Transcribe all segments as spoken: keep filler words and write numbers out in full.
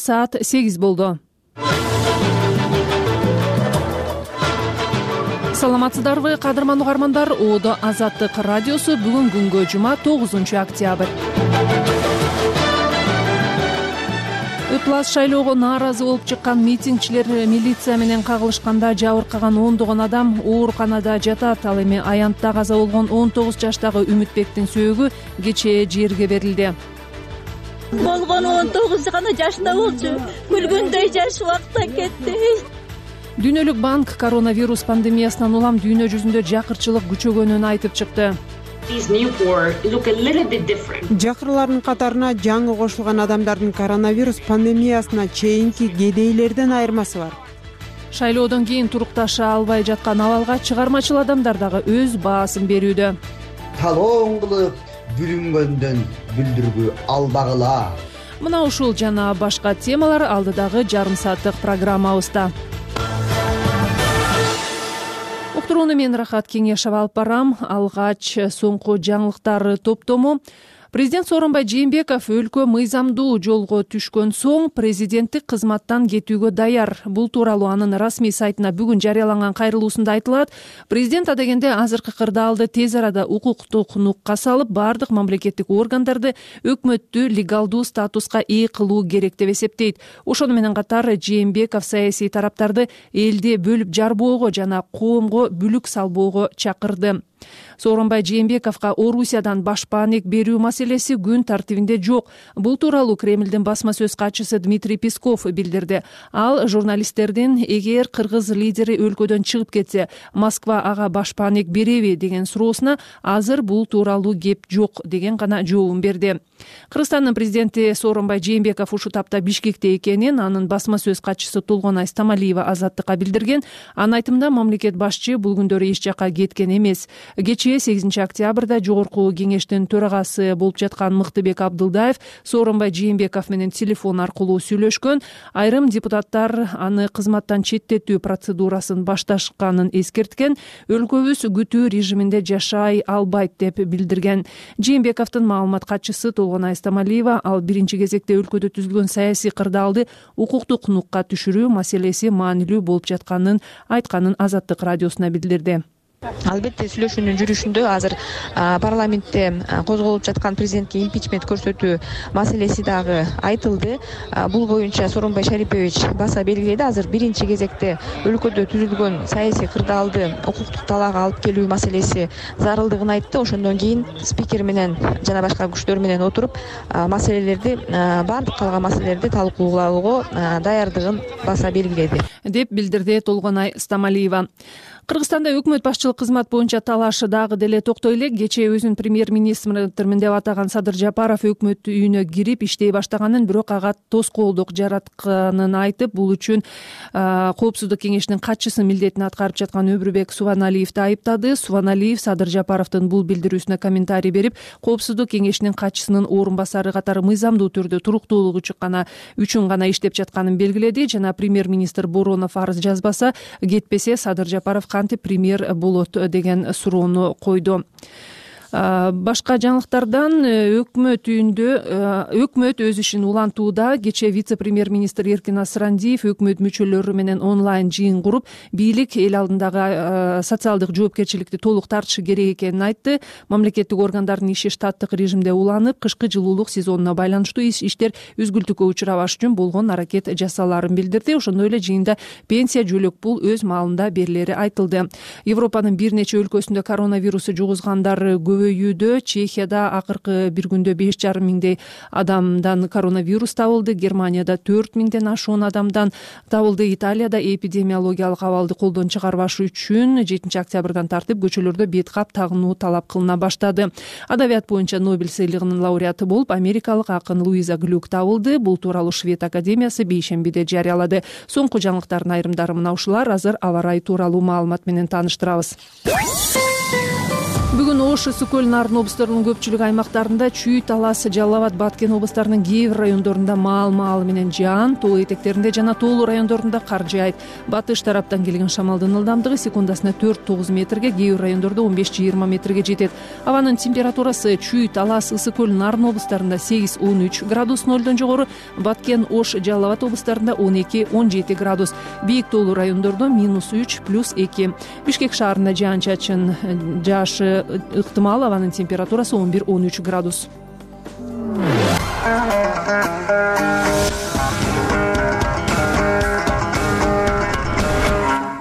Саат сегиз болду. Саламатсыздарбы, кадырман угармандар? Оодо Азаттык радиосу бүгүн күнгө жума тогузунчу октябрь. Ыплас шайлоого нааразы болуп чыккан митингчилер милиция менен кагылышканда жабыркаган ондогон адам ооруканада жатат. Ал эми аянтта каза болгон он тогуз жаштагы Үмүтбектин сөөгү кечээ жерге берилди. Болгону он тогуз гана жашында болчу. Күлгөндөй жаш убакта кетти. Дүйнөлүк банк коронавирус пандемиясынан улам дүйнө жүзүндө жакырчылык күчөгөнүн айтып чыкты. Жакырлардын катарына жаңы кошулган адамдардын коронавирус пандемиясына чейинки кедейлерден айырмасы бар. Шайлоодон кийин турукташа албай жаткан абалга чыгармачыл адамдар дагы өз баасын берүүдө. Талоон кылып бүлүнгөндөн бүлдүргү албагыла. Мына ушул жана башка темалар алдыдагы жарым сааттык программабызда. Уктурууну мен Рахат Кеңешов алып барам. Алгач соңку жаңылыктар топтому. Президент Сооронбай Жээнбеков өлкө мыйзамдуу жолго түшкөн соң президенттик кызматтан кетүүгө даяр. Бул тууралуу анын расмий сайтына бүгүн жарыяланган кайрылуусунда айтылат. Президент адегенде азыркы кырдаалды тез арада укуктук нукка салып, бардык мамлекеттик органдарды өкмөттү легалдуу статуска ээ кылуу керек деп эсептейт. Ошону менен катар Жээнбеков саясий тараптарды элди бөлүп жарбоого жана коомго бүлүк салбоого чакырды. Сооронбай Жээнбековго Орусиядан башпаанек берүү маселеси күн тартибинде жок. Бул тууралуу Кремлдин басма сөз катчысы Дмитрий Песков билдирди. Ал журналисттердин эгер кыргыз лидери өлкөдөн чыгып кетсе, Москва ага башпаанек береби деген суроосуна азыр бул тууралуу кеп жок деген гана жообун берди. Кыргызстандын президенти Сооронбай Жээнбеков ушул тапта Бишкекте экенин анын басма сөз катчысы Толгонай Стамалиева Азаттыкка билдирген. Анын айтымында мамлекет башчы бул күндөрү эч жакка кеткен эмес. Кечээ сегизинчи октябрда жогорку кеңештин төрагасы болуп жаткан Мыктыбек Абдылдаев Сооронбай Жээнбеков менен телефон аркылуу сүйлөшкөн. Айрым депутаттар аны кызматтан четтетүү процедурасын башташканын эскерткен. Өлкөбүз күтүү режиминде жашай албайт деп билдирген. Жээнбековдун маалымат катчысы Толгонай Стамалиева ал биринчи кезекте өлкөдө түзүлгөн саясий кырдаалды укуктук нукка түшүрүү маселеси маанилүү болуп жатканын айтканын Азаттык радиосуна билдирди. Албетте сүйлөшүүнүн жүрүшүндө азыр парламентте козголуп жаткан президентке импичмент көрсөтүү маселеси дагы айтылды. Бул боюнча Сооронбай Шарипович баса белгиледи. Азыр биринчи кезекте өлкөдө түзүлгөн саясий кырдаалды укуктук талаага алып келүү маселеси зарылдыгын айтты. Ошондон кийин спикер менен жана башка күчтөр менен отуруп маселелерди баардык калган маселелерди талкуулоого даярдыгын баса белгиледи деп билдирди Толгонай Стамалиева. Кыргызстанда өкмөт башчылык кызмат боюнча талашы дагы деле токтой элек. Кечээ өзүн премьер-министрмин деп атаган Садыр Жапаров өкмөт үйүнө кирип иштей баштаганын, бирок ага тоскоолдук жаратканын айтып, бул үчүн коопсуздук кеңешинин катчысы милдетин аткарып жаткан Өбүрбек Субаналиевди айыптады. Субаналиев Садыр Жапаровдун бул билдирүүсүнө комментарий берип, коопсуздук кеңешинин катчысынын орун басары катары мыйзамдуу түрдө туруктуулугу үчүн гана иштеп жатканын белгиледи. Жана премьер-министр Боронов арыз жазбаса, кетпесе Садыр Жапаров кантип премьер болот деген суроону койду. Башка жаңылыктардан өкмөт үйүндө өкмөт өз ишин улантууда. Кечээ вице-премьер-министр Эркин Асырандиев өкмөт мүчөлөрү менен онлайн жыйын куруп, бийлик эл алдындагы социалдык жоопкерчиликти толук тартышы керек экенин айтты. Мамлекеттик органдардын иши штаттык режимде уланып, кышкы жылуулук сезонуна байланыштуу иштер үзгүлтүккө учурабаш үчүн болгон аракет жасалаарын билдирди. Ошондой эле жыйында пенсия, жөлөк пул өз маалында берилери айтылды. Европанын бир нече өлкөсүндө коронавирусу жугузгандар көбөйүүдө. Чехияда акыркы бир күндө беш жарым миңдей адамдан коронавирус табылды. Германияда төрт миңден ашуун адамдан табылды. Италияда эпидемиологиялык абалды колдон чыгарбаш үчүн жетинчи октябрдан тартып көчөлөрдө бет кап тагынуу талап кылына баштады. Адабият боюнча Нобель сыйлыгынын лауреаты болуп америкалык акын Луиза Глюк табылды. Бул тууралуу Швед академиясы бейшембиде жарыялады. Соңку жаңылыктардын айрымдары мына ушулар. Азыр аба ырайы тууралуу маалымат менен тааныштырабыз. Бүгүн Ош, Ысык көл, Нарын облустарынын көпчүлүк аймактарында чүй, Талас, Жалал Абад, Баткен облустарынын кээ бир райондорунда маал-маал менен жаан, тоо этектеринде жана тоолуу райондорунда кар жаайт. Батыш тараптан келген шамалдын ылдамдыгы секундасына төрт тогуз метрге, кээ бир райондордо он беш жыйырма метрге жетет. Абанын температурасы чүй, Талас, Ысык көл, Нарын облустарында сегиз он үч градус, нолдон жогору, Баткен, Ош, Жалал Абад облустарында он эки он жети градус, бийик тоолуу райондордо минус үч плюс эки. Бишкек шаарында жаан-чачын жаашы ыктымал, абанын температурасы он бир он үч градус.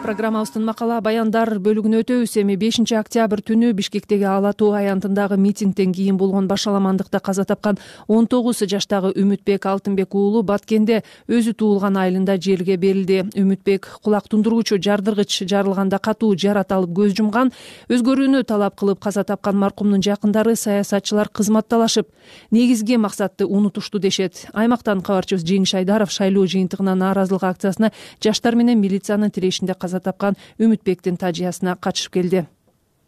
Программабыздын макала баяндар бөлүгүнө өтөбүз. Эми бешинчи октябрь түнү Бишкектеги Ала тоо аянтындагы митингден кийин болгон башаламандыкта каза тапкан он тогуз жаштагы Үмүтбек Алтынбек уулу Баткенде өзү туулган айылында жерге берилди. Үмүтбек кулак тундургучу жардыргыч жарылганда катуу жарат алып көз жумган. Өзгөрүүнү талап кылып каза тапкан маркумдун жакындары саясатчылар кызматталашып, негизги максатты унутушту дешет. Аймактан кабарчыбыз Жеңиш Айдаров шайлоо жыйынтыгына нааразылык акциясына жаштар менен милициянын тирешинде каза тапкан Үмүтбектин тажыясына катышып келди.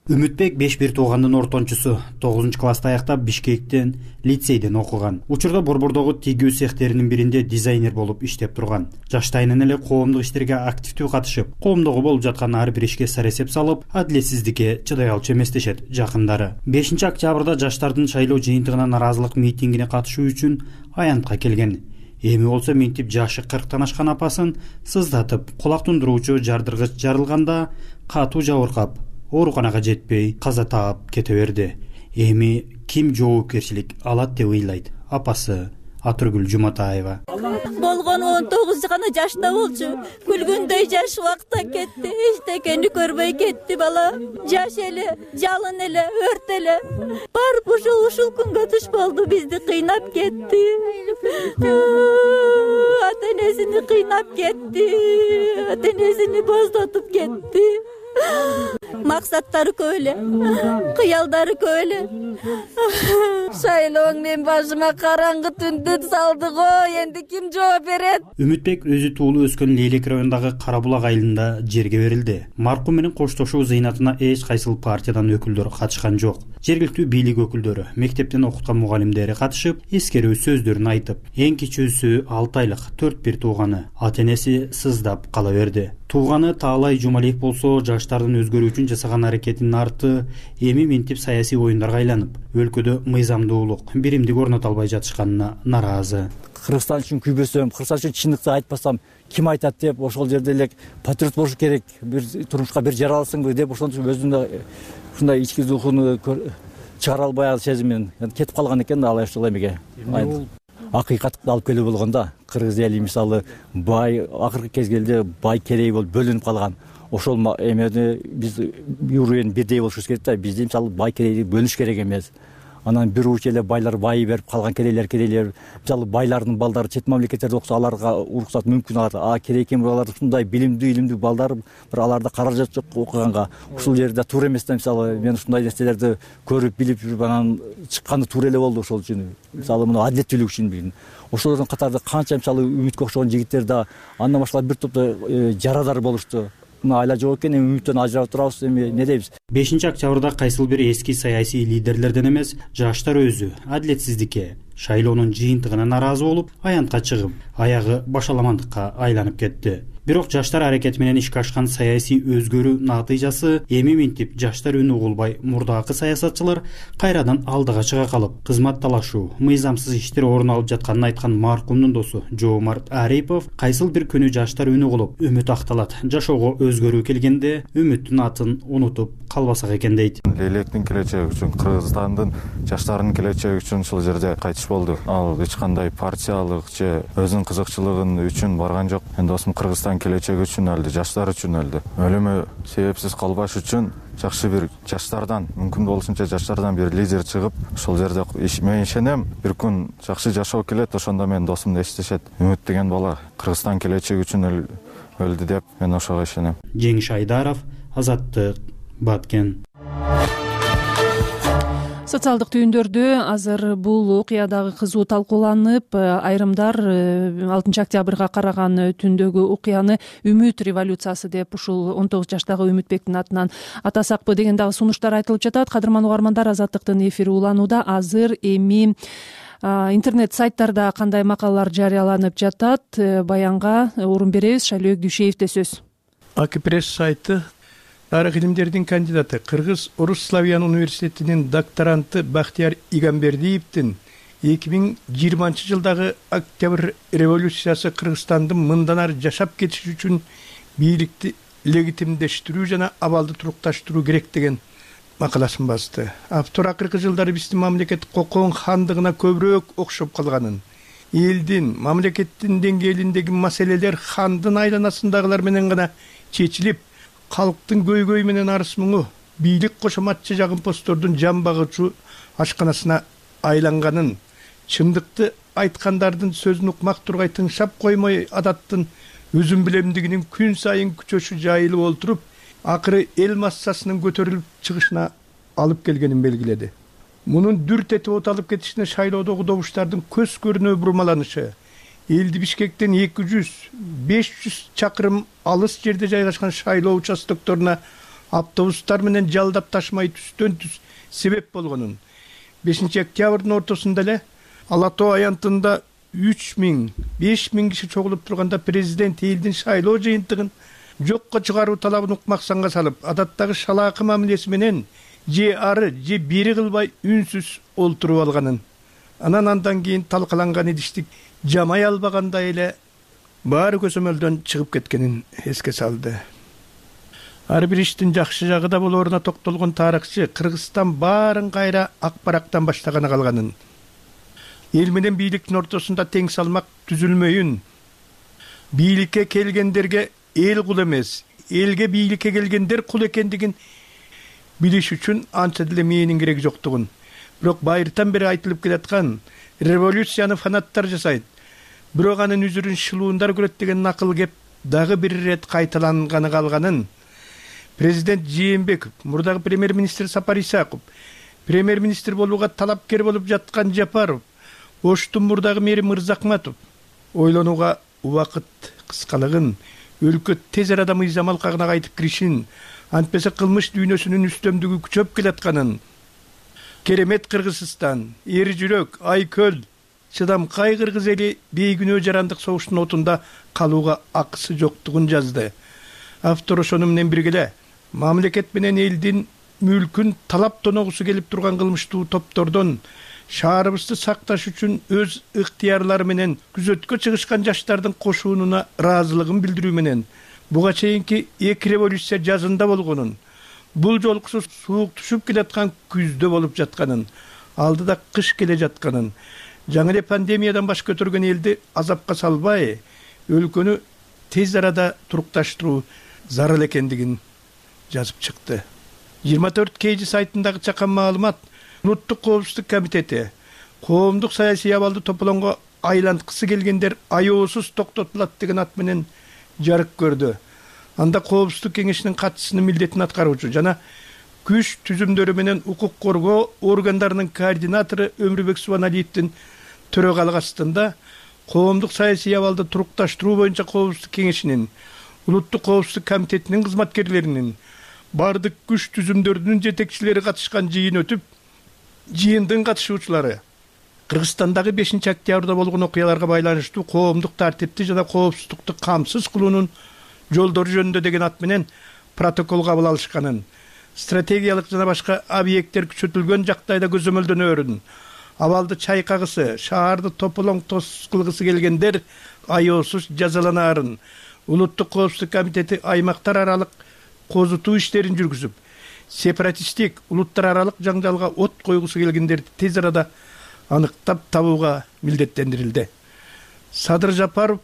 Үмүтбек беш бир туугандын ортончусу, тогузунчу класста аяктап Бишкектен лицейден окуган. Учурда Борбордогу тигүү цехтеринин биринде дизайнер болуп иштеп турган. Жаштайынан эле коомдук иштерге активдүү катышып, коомдогу болуп жаткан ар бир ишке саресеп салып, адилетсиздикке чыдай алчу эмес дешет жакындары. бешинчи октябрда жаштардын шайлоо жыйынтыгына нааразылык митингине катышуу үчүн аянтка келген. Эми болсо минтип жашы кырктан ашкан апасын сыздатып, кулак тундуруучу жардыргыч жарылганда катуу жабыркап, ооруканага жетпей каза таап кете берди. Эми ким жоопкерчилик алат деп ыйлайт апасы Атыргүл Жуматаева. Болгону он тогуз гана жашта болчу. Күлгүндөй жаш убакта кетти. Эчтекени көрбөй кетти бала. Жаш эле, жалын эле, өрт эле. Барып ушул ушул күнгө туш болду, бизди кыйнап кетти. Ата-энесини кыйнап кетти. Ата-энесини боздотуп кетти. Максаттары көп эле, кыялдары көп эле. Шайлооң мен башыма караңгы түндү салды го, энди ким жооп берет? Үмүтбек өзү туулуп өскөн Лейлек районундагы Карабулак айылында жерге берилди. Маркум менен коштошуу зыйнатына эч кайсыл партиядан өкүлдөр катышкан жок. Жергиликтүү бийлик өкүлдөрү, мектептен окуткан мугалимдери катышып, эскерүү сөздөрүн айтып, эң кичүүсү алты айлык төрт бир тууганы ата-энеси сыздап кала берди. Тууганы Таалай Жумалиев болсо, жаштардын өзгөрүү үчүн жасаган аракетинин арты эми минтип саясий оюндарга айланып, өлкөдө мыйзамдуулук, биримдик орното албай жатышканына наразы. Кыргызстан үчүн күйбөсөм, Кыргызстан үчүн чындыкты айтпасам, ким айтат деп, ошол жерде эле патриот болуш керек, бир турмушка бир жаралсыңбы деп, ошондо өзүнүн ушундай ички рухуну чыгара албай сезимин кетип калган экен. Алай ушул эмеге акыйкатты алып келүү болгондо кыргыз эли мисалы бай акыркы кезгелде бай керей болуп бөлүнүп калган. Ошол эмени биз юрен бирдей болушубуз керек да. Бизде мисалы бай керейди бөлүш керек эмес. Анан бир уч эле байлар байы берип калган керейлер керейлер. Мисалы байлардын балдары чет мамлекеттерде окуса, аларга уруксат мүмкүн, алар а керек экен, алар ушундай билимдүү илимдүү балдар, бир аларда каражат жок окуганга. Ушул жерде туура эмес да. Мисалы мен ушундай нерселерди көрүп билип жүрүп анан чыкканы туура эле болду ошол үчүн. Мисалы муну адилеттүүлүк үчүн. Ошолордун катарында канча мисалы Үмүткө окшогон жигиттер да, андан башка бир топто жарадар болушту. Айла жок экен, эми Үмүттөн ажырап турабыз, эми не дейбиз? бешинчи октябрда кайсыл бир эски саясий лидерлерден эмес, жаштар өзү адилетсиздикке, шайлоонун жыйынтыгына наразы болуп, аянтка чыгып, аягы башаламандыкка айланып кетти. Бирок жаштар аракети менен ишке ашкан саясий өзгөрүү натыйжасы эми минтип жаштар үнү угулбай, мурдагы саясатчылар кайрадан алдыга чыга калып, кызматталашуу, мыйзамсыз иштер орун алып жатканын айткан маркумдун досу Жоомарт Арипов кайсыл бир күнү жаштар үнү угулуп, үмүт акталат, жашоого өзгөрүү келгенде үмүттүн атын унутуп калбасак экен дейт. Лейлектин келечеги үчүн, Кыргызстандын жаштарынын келечеги үчүн ушул жерде кайтыш болду. Ал эч кандай партиялык же өзүнүн кызыкчылыгын үчүн барган жок. Мен досум Кыргызстан келечеги үчүн өлдү, жаштар үчүн өлдү. Өлүмү себепсиз калбаш үчүн жакшы бир жаштардан, мүмкүн болушунча жаштардан бир лидер чыгып, ошол жерде мен ишенем, бир күн жакшы жашоо келет, ошондо мен досумду эстешет. Үмүт деген бала Кыргызстан келечеги үчүн өлдү деп мен ошого ишенем. Жеңиш Айдаров, Азаттык, Баткен. Социалдык түйүндөрдө азыр бул окуя дагы кызуу талкууланып, айрымдар алтынчы октябрга караган түндөгү окуяны Үмүт революциясы деп ушул он тогуз жаштагы Үмүтбектин атынан атасакпы деген дагы сунуштар айтылып жатат. Кадырман угармандар, Азаттыктын эфири уланууда. Азыр эми интернет сайттарда кандай макалалар жарыяланып жатат, баянга орун беребиз. Шайлөөк Дүйшеевде сөз. Акипресс сайты тарых илимдердин кандидаты, Кыргыз Орус Славян университетинин докторанты Бактияр Игамбердиевдин эки миң жыйырманчы жылдагы октябрь революциясы Кыргызстандын мындан ары жашап кетиши үчүн бийликти легитимдештирүү жана абалды турукташтыруу керек деген макаласын басты. Автор акыркы жылдары биздин мамлекет кокон хандыгына көбүрөөк окшоп калганын, элдин, мамлекеттин деңгээлиндеги маселелер хандын айланасындагылар менен гана чечилип, калктын көйгөй менен арыз муңу бийлик кошоматчы жагымпоздордун жан багычуу ашканасына айланганын, чындыкты айткандардын сөзүн укмак тургай тыңшап коймой адаттын өзүм билемдигинин күн сайын күчөшү жайылып олтуруп, акыры эл массасынын көтөрүлүп чыгышына алып келгенин белгиледи. Мунун дүрт этип оталып кетишине шайлоодогу добуштардын көз көрүнө бурмаланышы, элди Бишкектен эки жүз беш жүз чакырым алыс жерде жайгашкан шайлоо участокторуна автобустар менен жалдап ташмай түстөн түз себеп болгонун, бешинчи октябрдын ортосунда эле Ала Тоо аянтында үч миң беш миң киши чогулуп турганда президент элдин шайлоо жыйынтыгын жокко чыгаруу талабын укмаксанга салып, адаттагы шалаакы мамилеси менен же ары же бери кылбай үнсүз олтуруп алганын, анан андан кийин талкаланган идиштик жамай албагандай эле баары көзөмөлдөн чыгып кеткенин эске салды. Ар бир иштин жакшы жагы да болоруна токтолгон тарыхчы Кыргызстан баарын кайра ак барактан баштаганы калганын, эл менен бийликтин ортосунда тең салмак түзүлмөйүн, бийликке келгендерге эл кул эмес, элге бийликке келгендер кул экендигин билиш үчүн анча деле мээнин кереги жоктугун, бирок байыртан бери айтылып келаткан революцияны фанаттар жасайт, бирок анын үзүрүн шылуундар көрөт деген накыл кеп дагы бир ирет кайталанганы калганын, президент Жээнбеков, мурдагы премьер-министр Сапар Исаков, премьер-министр болууга талапкер болуп жаткан Жапаров, Оштун мурдагы мэри Мырзакматов ойлонууга убакыт кыскалыгын, өлкө тез арада мыйзам алкагына кайтып киришин, антпесе кылмыш дүйнөсүнүн үстөмдүгү күчөп келатканын, керемет Кыргызстан, эр жүрөк, айкөл, чыдамкай кыргыз эли бейкүнөө жарандык согуштун отунда калууга акысы жоктугун жазды. Автор ошону менен бирге мамлекет менен элдин мүлкүн талап тоногусу келип турган кылмыштуу топтордон шаарыбызды сакташ үчүн өз ыктыярлары менен күзөткө чыгышкан жаштардын кошуунуна ыраазылыгын билдирүү менен буга чейинки эки революция жазында болгонун, бул жолкусу суук түшүп келаткан күздө болуп жатканын, алдыда кыш келе жатканын, жаңы эле пандемиядан баш көтөргөн элди азапка салбай, өлкөнү тез арада турукташтыруу зарыл экендигин жазып чыкты. жыйырма төрт кейжи сайтындагы чакан маалымат Улуттук коопсуздук комитети коомдук саясий абалды тополоңго айланткысы келгендер аеосуз токтотулат деген ат менен жарык көрдү. Анда коопсуздук кеңешинин катчысынын милдетин аткаруучу жана күч түзүмдөрү менен укук коргоо органдарынын координатору Өмүрбек Субаналиевдин төрөгалык астында коомдук саясий абалды турукташтыруу боюнча коопсуздук кеңешинин, Улуттук коопсуздук комитетинин кызматкерлеринин, бардык күч түзүмдөрүнүн жетекчилери катышкан жыйын өтүп, жыйындын катышуучулары Кыргызстандагы бешинчи октябрда болгон окуяларга байланыштуу коомдук тартипти жана коопсуздукту камсыз кылуунун жолдору жөнүндө деген ат менен протокол кабыл алышканын, стратегиялык жана башка объекттер күчөтүлгөн жагдайда көзөмөлдөнөөрүн, абалды чайкагысы, шаарды тополоң тос кылгысы келгендер аеосуз жазаланаарын, Улуттук коопсуздук комитети аймактар аралык козутуу иштерин жүргүзүп, сепаратисттик, улуттар аралык жаңжалга от койгусу келгендерди тез арада аныктап табууга милдеттендирилди. Садыр Жапаров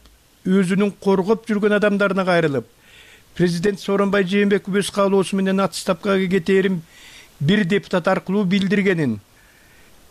өзүнүн коргоп жүргөн адамдарына кайрылып, президент Сооронбай Жээнбеков өз каалоосу менен отставкага кетээрин бир депутат аркылуу билдиргенин,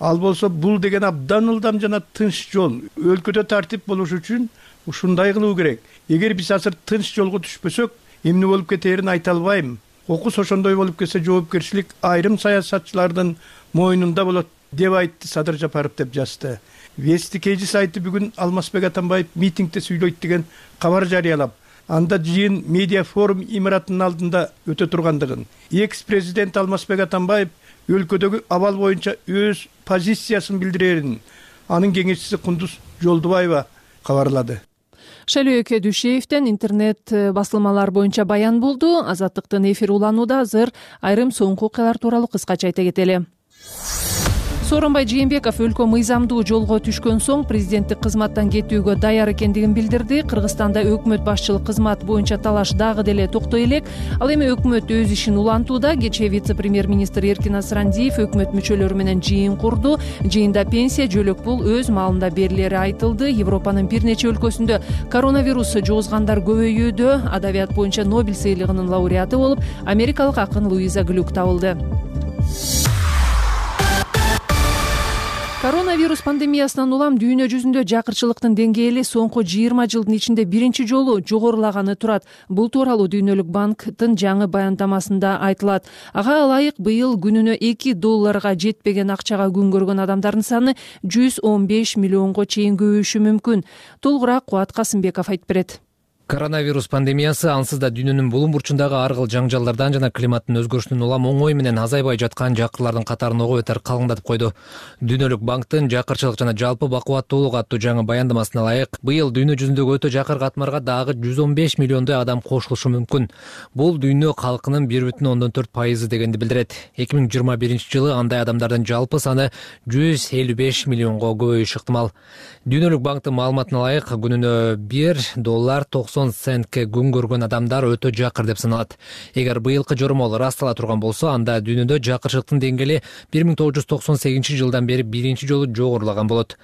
ал болсо бул деген абдан ылдам жана тынч жол, өлкөдө тартип болуш үчүн ушундай кылуу керек. Эгер биз азыр тынч жолго түшпөсөк, эмне болуп кетээрин айта албайм. окус ошондой болуп кетсе жоопкерчилик айрым саясатчылардын мойнунда болот деп айтты Садыр Жапаров деп жазды. Вести Кейжи сайты бүгүн Алмазбек Атамбаев митингде сүйлөйт деген кабар жарыялап, анда жыйын медиа форум имаратынын алдында өтө тургандыгын, экс-президент Алмазбек Атамбаев өлкөдөгү абал боюнча өз позициясын билдирерин анын кеңешчиси Кундуз Жолдубаева кабарлады. Шайлөөкө Дүйшеевден интернет басылмалар боюнча баян болду. Азаттыктын эфир уланууда азыр айрым соңку окуялар тууралуу кыскача айта кетели. Сооронбай Жээнбеков өлкө мыйзамдуу жолго түшкөн соң президенттик кызматтан кетүүгө даяр экендигин билдирди. Кыргызстанда өкмөт башчылык кызмат боюнча талаш дагы деле токтой элек. Ал эми өкмөт өз ишин улантууда. Кечээ вице-премьер-министр Эркин Асрандиев өкмөт мүчөлөрү менен жыйын курду. Жыйында пенсия, жөлөк пул өз маалында берилери айтылды. Европанын бир нече өлкөсүндө коронавирус жугузгандар көбөйүүдө. Адабият боюнча Нобель сыйлыгынын лауреаты болуп, америкалык акын Луиза Глюк табылды. Коронавирус пандемиясынан улам дүйнө жүзүндө жакырчылыктын деңгээли соңку жыйырма жылдын ичинде биринчи жолу жогорулаганы турат. Бул тууралуу Дүйнөлүк банктын жаңы баяндамасында айтылат. Ага ылайык быйыл күнүнө эки долларга жетпеген акчага күн көргөн адамдардын саны жүз он беш миллионго чейин көбөйүшү мүмкүн. Толугураак Кубат Касымбеков айтып берет. Коронавирус пандемиясы ансыз да дүйнөнүн булум бурчундагы ар кыл жаңжалдардан жана климаттын өзгөрүшүнүн улам оңой менен азайбай жаткан жакырлардын катарын ого бетер калыңдатып койду. Дүйнөлүк банктын жакырчылык жана жалпы бакубаттуулук аттуу жаңы баяндамасына ылайык, быйыл дүйнө жүзүндөгү өтө жакыр катмарга дагы жүз он беш миллиондой адам кошулушу мүмкүн. Бул дүйнө калкынын бир бүтүн ондон төрт пайызы дегенди билдирет. эки миң жыйырма биринчи жылы андай адамдардын жалпы саны жүз элүү беш миллионго көбөйүшү ыктымал. Дүйнөлүк банктын маалыматына ылайык, күнүнө бир доллар токсон центке күн көргөн адамдар өтө жакыр деп саналат. Эгер быйылкы жормол ырастала турган болсо, анда дүйнөдө жакырчылыктын деңгээли бир миң тогуз жүз токсон сегизинчи жылдан бери биринчи жолу жогорулаган болот.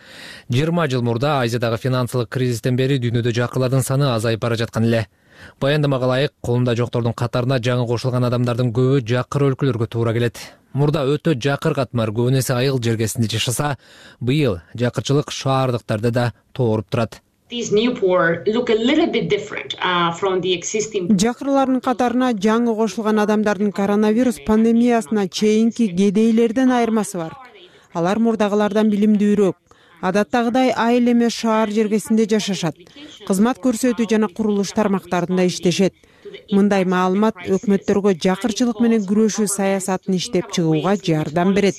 жыйырма жыл мурда Азиядагы финансылык кризистен бери дүйнөдө жакырлардын саны азайып бара жаткан эле. Баяндамага ылайык, колунда жоктордун катарына жаңы кошулган адамдардын көбү жакыр өлкөлөргө туура келет. Мурда өтө жакыр катмар көбүн эсе айыл жергесинде жашаса, быйыл жакырчылык шаардыктарда да тооруп турат. Жакырлардын катарына жаңы кошулган адамдардын коронавирус пандемиясына чейинки кедейлерден айырмасы бар. Алар мурдагылардан билимдүүрөөк. Адаттагыдай айыл эмес шаар жергесинде жашашат. Кызмат көрсөтүү жана курулуш тармактарында иштешет. Мындай маалымат өкмөттөргө жакырчылык менен күрөшүү саясатын иштеп чыгууга жардам берет,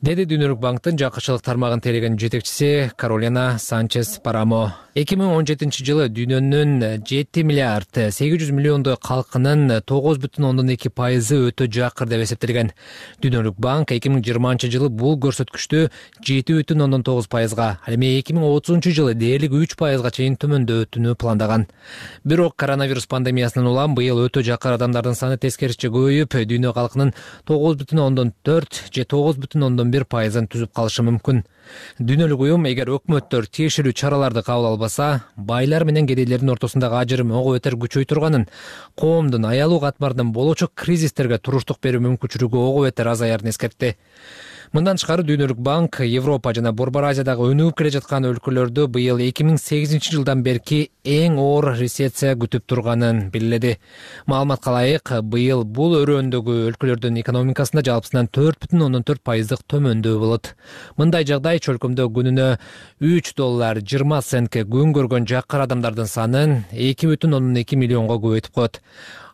деди Дүйнөлүк банктын жакырчылык тармагын тейлеген жетекчиси Каролина Санчес Парамо. эки миң он жетинчи жылы дүйнөнүн жети миллиард сегиз жүз миллиондой калкынын тогуз бүтүн ондон эки пайызы өтө жакыр деп эсептелген. Дүйнөлүк банк эки миң жыйырманчы жылы бул көрсөткүчтү жети бүтүн ондон тогуз пайызга, ал эми эки миң отузунчу жылы дээрлик үч пайызга чейин төмөндөтүүнү пландаган. Бирок коронавирус пандемиясынан улам быйыл өтө жакыр адамдардын саны тескерисинче көбөйүп, дүйнө калкынын тогуз бүтүн ондон төрт же тогуз бүтүн ондон бир пайызын түзүп калышы мүмкүн. Дүйнөлүк уюм эгер өкмөттөр тиешелүү чараларды кабыл албаса, байлар менен кедейлердин ортосундагы ажырым ого бетер күчөй турганын, коомдун аялуу катмардан болочок кризистерге туруштук берүү мүмкүнчүлүгү ого бетер азаярын эскертти. Мындан тышкары Дүйнөлүк банк Европа жана Борбор Азиядагы өнүгүп келе жаткан өлкөлөрдү быйыл эки миң сегизинчи жылдан берки эң оор рецессия күтүп турганын белгиледи. Маалыматка ылайык, быйыл бул өрөөндөгү өлкөлөрдүн экономикасында жалпысынан төрт бүтүн ондон төрт пайыздык төмөндөө болот. Мындай жагдай чөлкөмдө күнүнө үч доллар жыйырма центке күн көргөн жакыр адамдардын санын эки бүтүн ондон эки миллионго көбөйтүп коет.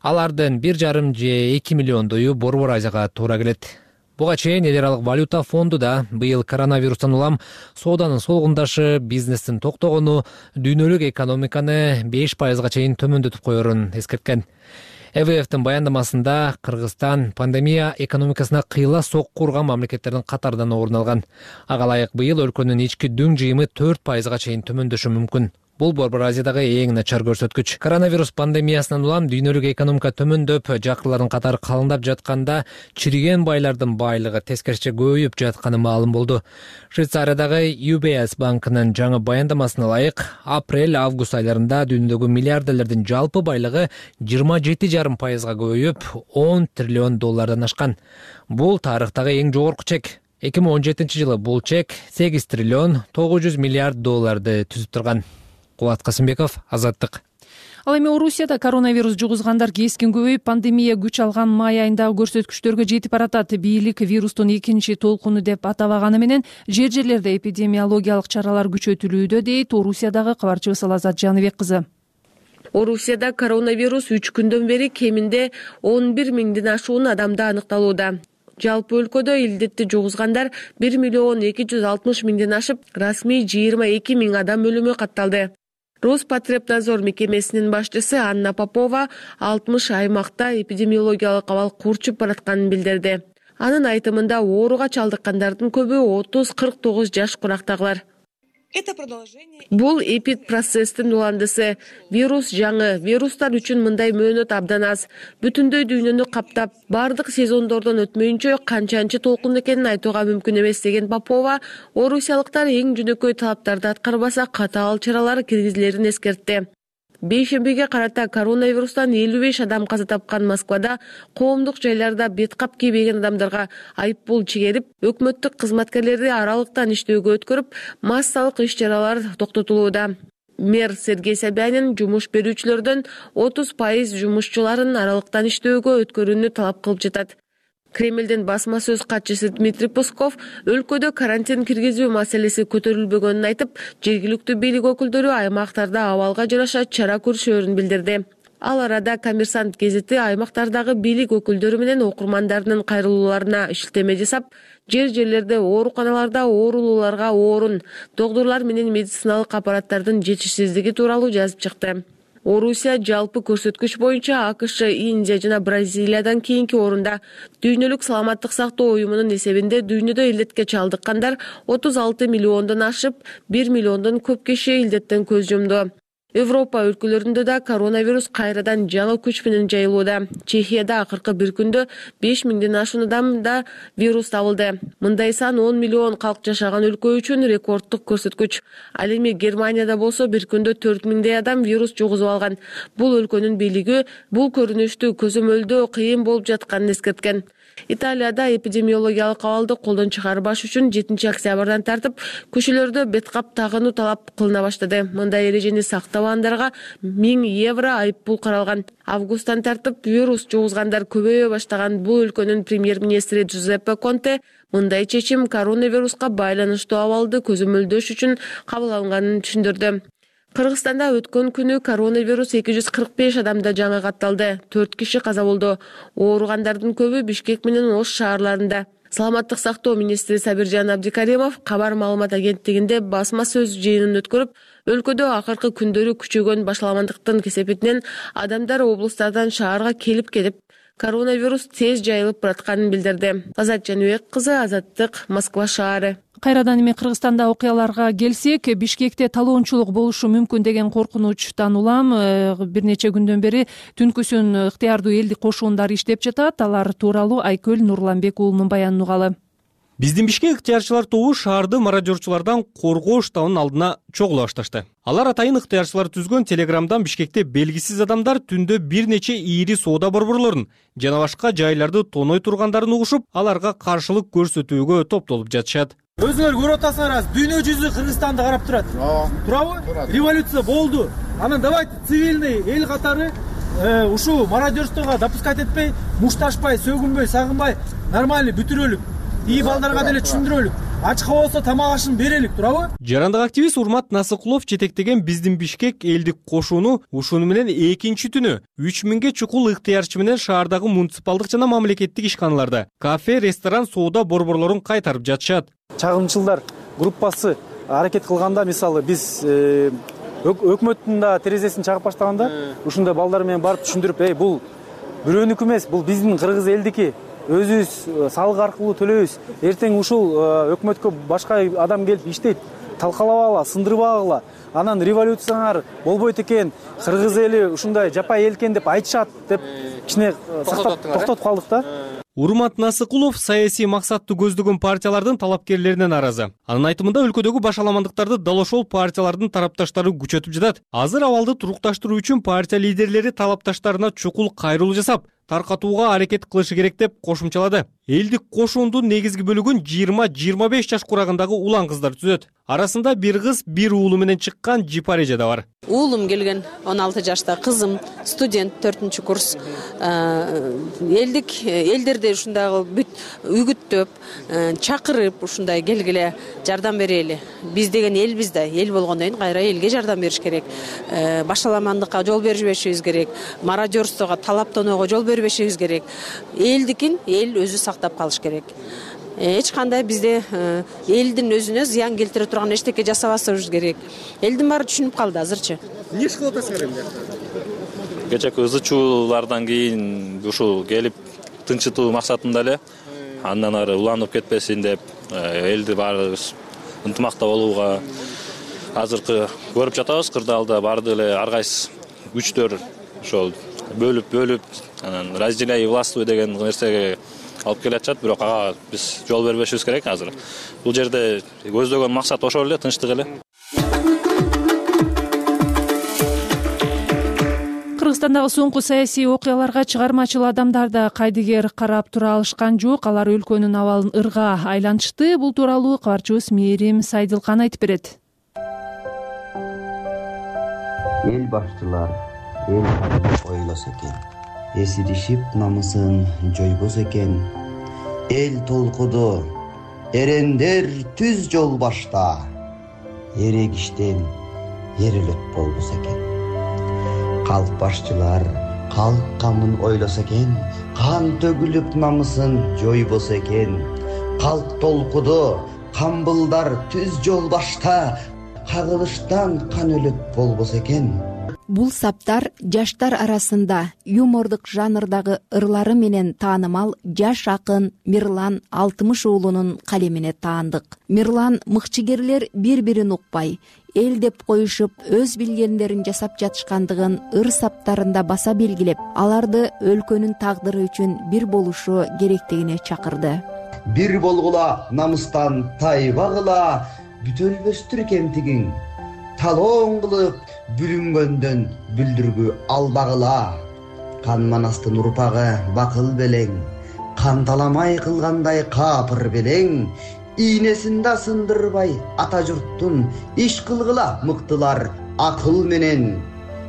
Алардын бир жарым же эки миллиондою Борбор Азияга туура келет. Буга чейин эл аралык валюта фонду да быйыл коронавирустан улам сооданын солгундашы, бизнестин токтогону дүйнөлүк экономиканы беш пайызга чейин төмөндөтүп коерун эскерткен. Э В Ф'тин баяндамасында Кыргызстан пандемия экономикасына кыйла сокку урган мамлекеттердин катарынан орун алган. Ага ылайык быйыл өлкөнүн ички дүң жыйымы төрт пайызга чейин төмөндөшү мүмкүн. Бул Борбор Азиядагы эң начар көрсөткүч. Коронавирус пандемиясынан улам дүйнөлүк экономика төмөндөп, жакырлардын катары калыңдап жатканда, чириген байлардын байлыгы тескерисинче көбөйүп жатканы маалым болду. Швейцариядагы ю би эс банкынын жаңы баяндамасына ылайык, апрель-август айларында дүйнөдөгү миллиардерлердин жалпы байлыгы жыйырма жети жарым пайызга көбөйүп, он триллион доллардан ашкан. Бул тарыхтагы эң жогорку чек. эки миң он жетинчи жылы бул чек сегиз триллион тогуз жүз миллиард долларды түзүп турган. Кубат Касымбеков, Азаттык. Ал эми Орусияда коронавирус жугузгандар кескин көбөйүп, пандемия күч алган май айындагы көрсөткүчтөргө жетип баратат. Бийлик вирустун экинчи толкуну деп атабаганы менен жер жерлерде эпидемиологиялык чаралар күчөтүлүүдө, дейт Орусиядагы кабарчыбыз Алазат Жаныбек кызы. Орусияда коронавирус үч күндөн бери кеминде он бир миңден ашуун адамда аныкталууда. Жалпы өлкөдө илдетти жугузгандар бир миллион эки жүз алтымыш миңден ашып, расмий жыйырма эки миң адам өлүмү катталды. Роспотребнадзор мекемесинин башчысы Анна Попова алтымыш аймакта эпидемиологиялык абал курчуп баратканын билдирди. Анын айтымында ооруга чалдыккандардын көбү отуз кырк тогуз жаш курактагылар. Бул эпид процесстин уландысы. Вирус жаңы. Вирустар үчүн мындай мөөнөт абдан аз. Бүтүндөй дүйнөнү каптап, бардык сезондордон өтмөйүнчө канчанчы толкун экенин айтууга мүмкүн эмес деген Попова, орусиялыктар эң жөнөкөй талаптарды аткарбаса катаал чаралар киргизилерин эскертти. Бейшембиге карата коронавирустан элүү беш адам каза тапкан Москвада коомдук жайларда бет кап кийбеген адамдарга айыппул чегерип, өкмөттүк кызматкерлерди аралыктан иштөөгө өткөрүп, массалык иш-чаралар токтотулууда. Мэр Сергей Собянин жумуш берүүчүлөрдөн отуз пайыз жумушчуларын аралыктан иштөөгө өткөрүүнү талап кылып жатат. Кремлдин басма сөз катчысы Дмитрий Песков өлкөдө карантин киргизүү маселеси көтөрүлбөгөнүн айтып, жергиликтүү бийлик өкүлдөрү аймактарда абалга жараша чара көрүшөөрүн билдирди. Ал арада Коммерсант гезити аймактардагы бийлик өкүлдөрү менен окурмандарынын кайрылууларына шилтеме жасап, жер жерлерде ооруканаларда оорулууларга орун, доктурлар менен медициналык аппараттардын жетишсиздиги тууралуу жазып чыкты. Орусия жалпы көрсөткүч боюнча АКШ, Индия жана Бразилиядан кийинки орунда. Дүйнөлүк саламаттык сактоо уюмунун эсебинде дүйнөдө илдетке чалдыккандар отуз алты миллиондон ашып, бир миллиондон көп киши илдеттен көз жумду. Европа өлкөлөрүндө да коронавирус кайрадан жаңы күч менен жайылууда. Чехияда акыркы бир күндө беш миңден ашуун адамда вирус табылды. Мындай сан он миллион калк жашаган өлкө үчүн рекордтук көрсөткүч. Ал эми Германияда болсо бир күндө төрт миңдей адам вирус жугузуп алган. Бул өлкөнүн бийлиги бул көрүнүштү көзөмөлдөө кыйын болуп жатканын эскерткен. Италияда эпидемиологиялык абалды колдон чыгарбаш үчүн жетинчи октябрдан тартып көчөлөрдө бет кап тагынуу талап кылына баштады. Мындай эрежени сактабагандарга миң евро айыппул каралган. Августтан тартып вирус жугузгандар көбөйө баштаган бул өлкөнүн премьер-министри Джузеппе Конте мындай чечим коронавируска байланыштуу абалды көзөмөлдөш үчүн кабыл алынганын түшүндүрдү. Кыргызстанда өткөн күнү коронавирус эки жүз кырк беш адамда жаңы катталды. төрт киши каза болду. Ооругандардын көбү Бишкек менен Ош шаарларында. Саламаттык сактоо министри Сабиржан Абдикаримов кабар маалымат агенттигинде басма сөз жыйынын өткөрүп, өлкөдө акыркы күндөрү күчөгөн башаламандыктын кесепетинен адамдар облустардан шаарга келип кетип, коронавирус тез жайылып баратканын билдирди. Азат Жаныбек кызы, Азаттык, Москва шаары. Кайрадан эми Кыргызстанда окуяларга келсек, Бишкекте талоончулук болушу мүмкүн деген коркунучтан улам бир нече күндөн бери түнкүсүн ыктыярдуу элдик кошуундары иштеп жатат. Алар тууралуу Айкөл Нурланбек уулунун баянын угалы. Биздин Бишкек ыктыярчылар тобу шаарды мародёрчулардан коргоо штабынын алдына чогула башташты. Алар атайын ыктыярчылар түзгөн телеграмдан Бишкекте белгисиз адамдар түндө бир нече ийри соода борборлорун жана башка жайларды тоной тургандарын угушуп, аларга каршылык көрсөтүүгө топтолуп жатышат. Өзүңөр көрүп атасыңар, дүйнө жүзү Кыргызстанды карап турат. Турабы? Революция болду. Анан давайте цивильный эл катары ушул мародёрствого допускать этпей, мушташпай, сөгүнбөй, сагынбай, нормальный бүтүрөлүк. И балдарга деле түшүндүрөлүк. Ачка болсо тамак ашын берелик, турабы? Жарандык активист Урмат Насыкулов жетектеген Биздин Бишкек элдик кошууну ушуну менен экинчи түнү үч миңге чукул ыктыярчы менен шаардагы муниципалдык жана мамлекеттик ишканаларда кафе, ресторан, соода борборлорун кайтарып жатышат. Чагымчылдар группасы аракет кылганда, мисалы биз өкмөттүн да терезесин чагып баштаганда, ушундай балдар менен барып түшүндүрүп, эй, бул бирөөнүкү эмес, бул биздин кыргыз элдики. Өзүбүз салык аркылуу төлөйбүз. Эртең ушул өкмөткө башка адам келип иштейт. Талкалабагыла, сындырбагыла. Анан революциялар болбойт экен, кыргыз эли ушундай жапай эл экен деп айтышат деп кичине токтотуп калдык да. Урмат Насыкулов саясий максатты көздөгөн партиялардын талапкерлеринен наразы. Анын айтымында өлкөдөгү башаламандыктарды дал ошол партиялардын тарапташтары күчөтүп жатат. Азыр абалды турукташтыруу үчүн партия лидерлери талапташтарына чукул кайрылуу жасап, таркатууга аракет кылышы керек деп кошумчалады. элдик кошуундун негизги бөлүгүн жыйырма жыйырма беш жаш курагындагы улан кыздар түзөт. Арасында бир кыз, бир уулу менен чыккан Жипареже да бар. Уулум келген он алты жашта, кызым студент төртүнчү курс. Элдик элдерди ушундагы бүт үгүттөп, чакырып ушундай келгиле жардам берели. Биз деген элбиз да, эл болгондон кийин кайра элге жардам бериш керек. Башаламандыкка жол бербешибиз керек. Мародерствого, талаптоноого жол бербешибиз керек. Элдикин эл өзү сактап калыш керек. Эч кандай бизде элдин өзүнө зыян келтире турган эчтеке жасабасыбыз керек. Элдин баары түшүнүп калды азырчы. Эмне иш кылып атасыңар эмне? Кечээки ызы чуулардан кийин ушул келип тынчытуу максатында эле андан ары уланып кетпесин деп элди баарыбыз ынтымакта болууга азыркы көрүп жатабыз. Кырдаалда баардык эле ар кайсы күчтөр ошол бөлүп бөлүп анан разделяй властвуй деген нерсеге алып келатышат, бирок ага биз жол бербешибиз керек азыр. Бул жерде көздөгөн максат ошол эле, тынчтык эле. Кыргызстандагы соңку саясий окуяларга чыгармачыл адамдар да кайдыгер карап тура алышкан жок. Алар өлкөнүн абалын ырга айлантышты. Бул тууралуу кабарчыбыз Мээрим Сайдылкан айтып берет. Эл башчылар эл ойлосо экен, эсиришип намысын жойбосо экен. Эл толкуду, эрендер түз жол башта, эрегиштен эрелет болбосо экен. Калк башчылар калк камын ойлосо экен, кан төгүлүп намысын жойбосо экен. Калк толкуду, камбылдар түз жол башта, кагылыштан кан өлөт болбосо экен. Бул саптар жаштар арасында юмордук жанрдагы ырлары менен таанымал жаш акын Мирлан Алтымыш уулунун калемине таандык. Мирлан мыкчыгерлер бири-бирин укпай, эл деп коюшуп, өз билгендерин жасап жатышкандыгын ыр саптарында баса белгилеп, аларды өлкөнүн тагдыры үчүн бир болушу керектигине чакырды. Бир болгула, намыстан тайбагыла, бүтөлбөстүр кемтигиң. Талоон кылып бүлүнгөндөн бүлдүргү албагыла. Кан манастын урпагы бакыл белең, канталамай кылгандай капыр белең. Ийнесин да сындырбай ата журттун иш кылгыла мыктылар акыл менен.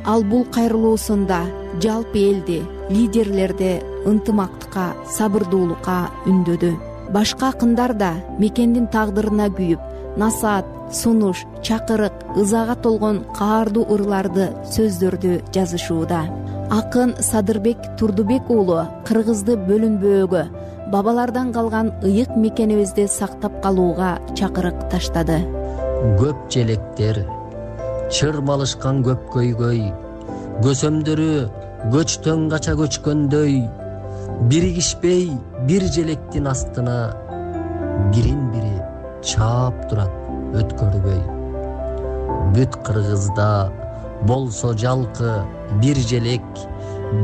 Ал бул кайрылуусунда жалпы элди, лидерлерди ынтымактыкка, сабырдуулукка үндөдү. Башка акындар да мекендин тагдырына күйүп, насаат, сунуш, чакырык, ызага толгон каардуу ырларды, сөздөрдү жазышууда. Акын Садырбек Турдубек уулу кыргызды бөлүнбөөгө, бабалардан калган ыйык мекенибизди сактап калууга чакырык таштады. Көп желектер, чырмалышкан көп көйгөй, көсөмдөрү көчтөн кача көчкөндөй, биригишпей бир желектин астына бирин-бири чаап турат өткөрбөй. Бүт Кыргызда болсо жалкы бир желек,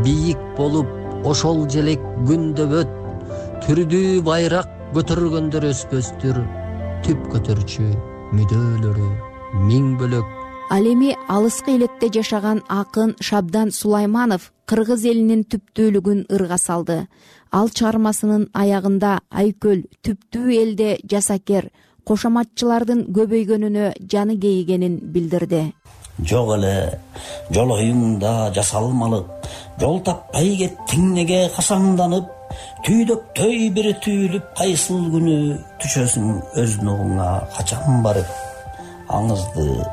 бийик болуп ошол желек күндөбөт, түрдүү байрак көтөргөндөр өспөстүр, түп көтөрчү мүдөөлөрү миң бөлөк. Ал эми алыскы элетте жашаган акын Шабдан Сулайманов кыргыз элинин түптүүлүгүн ырга салды. Ал чыгармасынын аягында Айкөл түптүү элде жасакер, кошоматчылардын көбөйгөнүнө жаны кейигенин билдирди. Жок эле жолоюңда жасалмалык, жол таппай кеттиң неге касаңданып, түйдөктөй бир түйүлүп кайсыл күнү түшөсүң өз нугуңа качан барып. Аңызды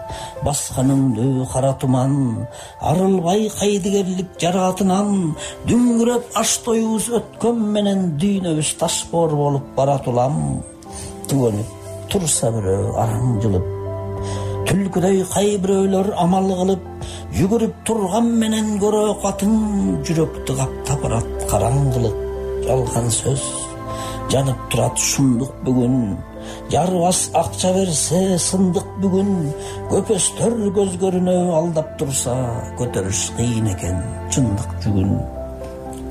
басканыңды кара туман, арылбай кайдыгерлик жараатынан, дүңгүрөп аш тоюбуз өткөн менен дүйнөбүз ташбоор болуп баратулам. Түгөнүп турса бирөө араң жылып, түлкүдөй кай бирөөлөр амал кылып, жүгүрүп турган менен көрө катын, жүрөктү каптап барат караңгылык. Жалган сөз жанып турат шундук бүгүн, жарбас акча берсе сындык бүгүн, көпөстөр көз көрүнө алдап турса, көтөрүш кыйын экен чындык жүгүн.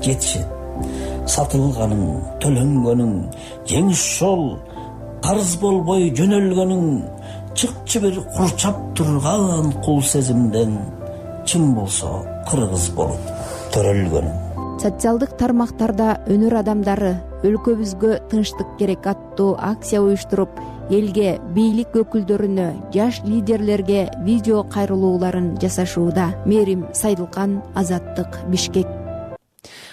Жетишет сатылганың, төлөнгөнүң, жеңиш жол карыз болбой жөнөлгөнүң, чыкчы бир курчап турган кул сезимден, чын болсо кыргыз болуп төрөлгөнүң. Социалдык тармактарда өнөр адамдары өлкөбүзгө тынчтык керек аттуу акция уюштуруп, элге, бийлик өкүлдөрүнө, жаш лидерлерге видео кайрылууларын жасашууда. Мээрим Сайдылкан, Азаттык, Бишкек.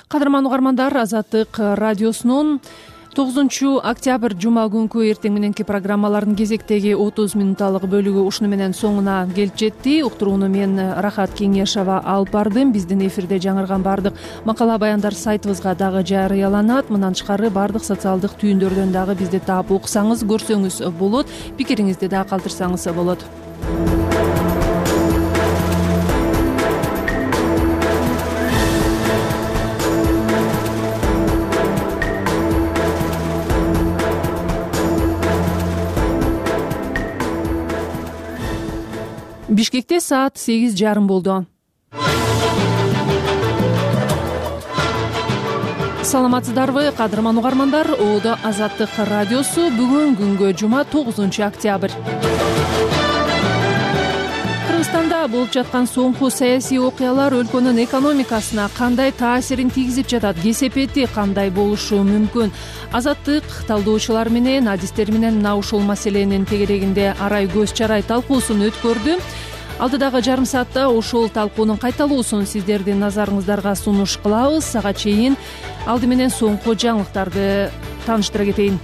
Кадырман угармандар, Азаттык радиосунун тогузунчу октябрь жума күнкү эртең мененки программалардын кезектеги отуз минуталык бөлүгү ушуну менен соңуна келип жетти. Уктурууну мен Рахат Кеңешова алып бардым. Биздин эфирде жаңырган бардык макала баяндар сайтыбызга дагы жарыяланат. Мындан тышкары бардык социалдык түйүндөрдөн дагы бизди таап окусаңыз, көрсөңүз болот. Пикириңизди да калтырсаңыз болот. Бишкекте саат сегиз жарым болду. Саламатсыздарбы, кадырман угармандар? Оодо Азаттык радиосу. Бүгүн күнгө жума тогузунчу октябрь. Кыргызстанда болуп жаткан соңку саясий окуялар өлкөнүн экономикасына кандай таасирин тийгизип жатат? Кесепети кандай болушу мүмкүн? Азаттык талдоочулар менен, адистер менен мына ушул маселенин тегерегинде арай көз чарай талкуусун өткөрдү. Алдыдагы жарым саатта ушул талкуунун кайталуусун сиздердин назарыңыздарга сунуш кылабыз. Сага чейин алды менен соңку жаңылыктарды тааныштыра кетейин.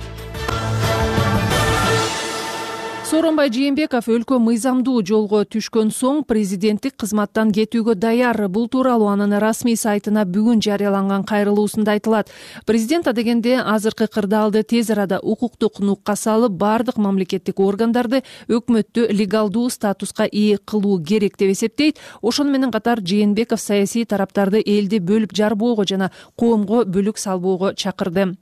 Сооронбай Жээнбеков өлкө мыйзамдуу жолго түшкөн соң президенттик кызматтан кетүүгө даяр. Бул тууралуу анын расмий сайтына бүгүн жарыяланган кайрылуусунда айтылат. Президент адегенде азыркы кырдаалды тез арада укуктук нукка салып, бардык мамлекеттик органдарды өкмөттү легалдуу статуска ээ кылуу керек деп эсептейт. Ошону менен катар Жээнбеков саясий тараптарды элди бөлүп жарбоого жана коомго бүлүк салбоого чакырды.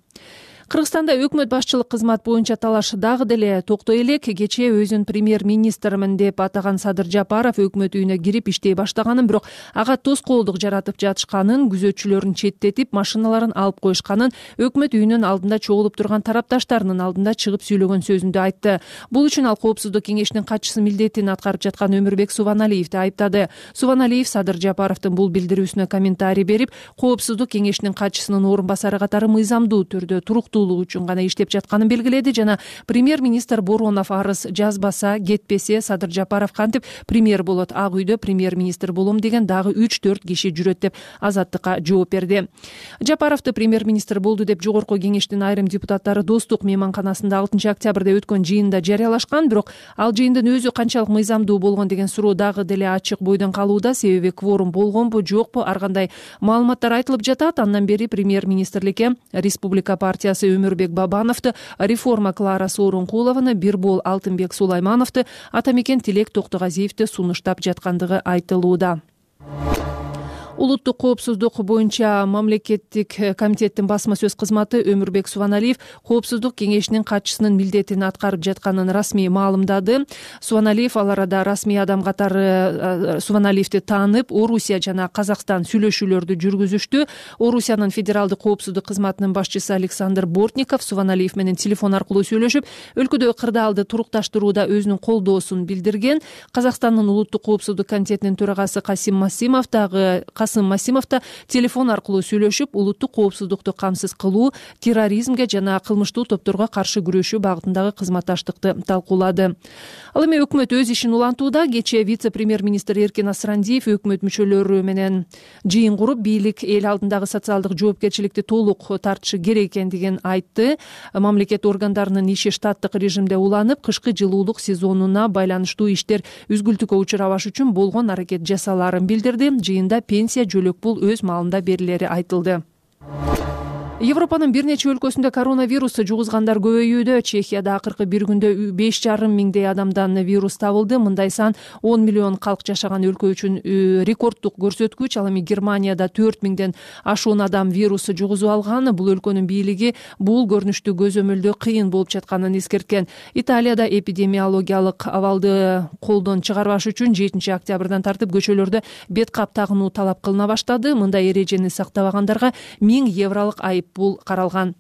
Кыргызстанда өкмөт башчылык кызмат боюнча талаш дагы деле токтой элек. Кечээ өзүн премьер-министрмин деп атаган Садыр Жапаров өкмөт үйүнө кирип иштей баштаганын, бирок ага тоскоолдук жаратып жатышканын, күзөтчүлөрүн четтетип, машиналарын алып коюшканын, өкмөт үйүнүн алдында чогулуп турган тарапташтарынын алдында чыгып сүйлөгөн сөзүндө айтты. Бул үчүн ал коопсуздук кеңешинин катчысы милдетин аткарып жаткан Өмүрбек Субаналиевди айыптады. Субаналиев Садыр Жапаровдун бул билдирүүсүнө комментарий берип, коопсуздук кеңешинин катчысынын орун басары катары мыйзамдуу түрдө туруктуу үчүн гана иштеп жатканын белгиледи жана премьер-министр Боронов арыз жазбаса, кетпесе, Садыр Жапаров кантип премьер болот, Ак үйдө премьер-министр болом деген дагы үч төрт киши жүрөт деп Азаттыкка жооп берди. Жапаровду премьер-министр болду деп жогорку кеңештин айрым депутаттары Достук мейманканасында алтынчы октябрда өткөн жыйында жарыялашкан, бирок ал жыйындын өзү канчалык мыйзамдуу болгон деген суроо дагы деле ачык бойдон калууда. Себеби кворум болгонбу, жокпу, ар кандай маалыматтар айтылып жатат. Андан бери премьер-министрликке Республика партиясы Өмүрбек Бабановду, реформа Клара Сооронкулованы, Бирбол Алтынбек Сулаймановду, Атамекен Тилек Токтогазиевди сунуштап жаткандыгы айтылууда. Улуттук коопсуздук боюнча мамлекеттик комитеттин басма сөз кызматы Өмүрбек Субаналиев коопсуздук кеңешинин катчысынын милдетин аткарып жатканын расмий маалымдады. Субаналиев ал арада расмий адам катары Субаналиевди таанып, Орусия жана Казакстан сүйлөшүүлөрдү жүргүзүштү. Орусиянын федералдык коопсуздук кызматынын башчысы Александр Бортников Субаналиев менен телефон аркылуу сөйлөшүп, өлкөдө кырдаалды турукташтырууда өзүнүн колдоосун билдирген. Казакстандын улуттук коопсуздук комитетинин төрагасы Касим Масимов дагы Касым Масимов да телефон аркылуу сүйлөшүп, улуттук коопсуздукту камсыз кылуу, терроризмге жана кылмыштуу топторго каршы күрөшүү багытындагы кызматташтыкты талкуулады. Ал эми өкмөт өз ишин улантууда. Кечээ вице-премьер-министр Эркин Асрандиев өкмөт мүчөлөрү менен жыйын куруп, бийлик эл алдындагы социалдык жоопкерчиликти толук тартышы керек экендигин айтты. Мамлекет органдарынын иши штаттык режимде уланып, кышкы жылуулук сезонуна байланыштуу иштер үзгүлтүккө учурабаш үчүн болгон аракет жасалаарын билдирди. Жыйында пенсия жөлөк пул өз маалында берилери айтылды. Европанын бир нече өлкөсүндө коронавирус жугузгандар көбөйүүдө. Чехияда акыркы бир күндө беш жарым миңдей адамдан вирус табылды. Мындай сан он миллион калк жашаган өлкө үчүн рекорддук көрсөткүч. Ал эми Германияда төрт миңден ашуун адам вирус жугузуп алган. Бул өлкөнүн бийлиги бул көрүнүштү көзөмөлдөө кыйын болуп жатканын эскерткен. Италияда эпидемиологиялык абалды колдон чыгарбаш үчүн жетинчи октябрдан тартып көчөлөрдө бет кап тагынуу талап кылына баштады. Мындай эрежени сактабагандарга миң евролук айып бул каралган.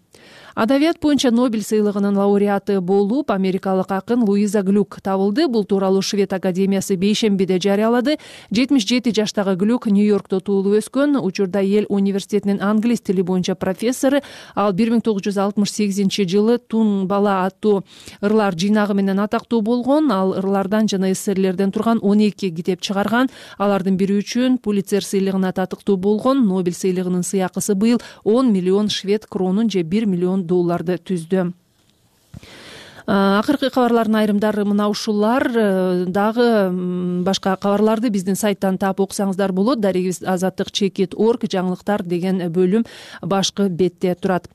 Адабият боюнча Нобель сыйлыгынын лауреаты болуп америкалык акын Луиза Глюк табылды. Бул тууралуу Швед академиясы бейшембиде жарыялады. жетимиш жети жаштагы Глюк Нью-Йоркто туулуп өскөн. Учурда эл университетинин англис тили боюнча профессору. Ал бир миң тогуз жүз алтымыш сегизинчи жылы Тун бала аттуу ырлар жыйнагы менен атактуу болгон. Ал ырлардан жана эсселерден турган он эки китеп чыгарган. Алардын бири үчүн Пулитцер сыйлыгына татыктуу болгон. Нобель сыйлыгынын сыйакысы быйыл он миллион швед кронун же бир миллион долларды түздү. Акыркы кабарлардын айрымдары мына ушулар. Дагы башка кабарларды биздин сайттан таап окусаңыздар болот. Дарегибиз азаттык чекит точка орг жаңылыктар деген бөлүм башкы бетте турат.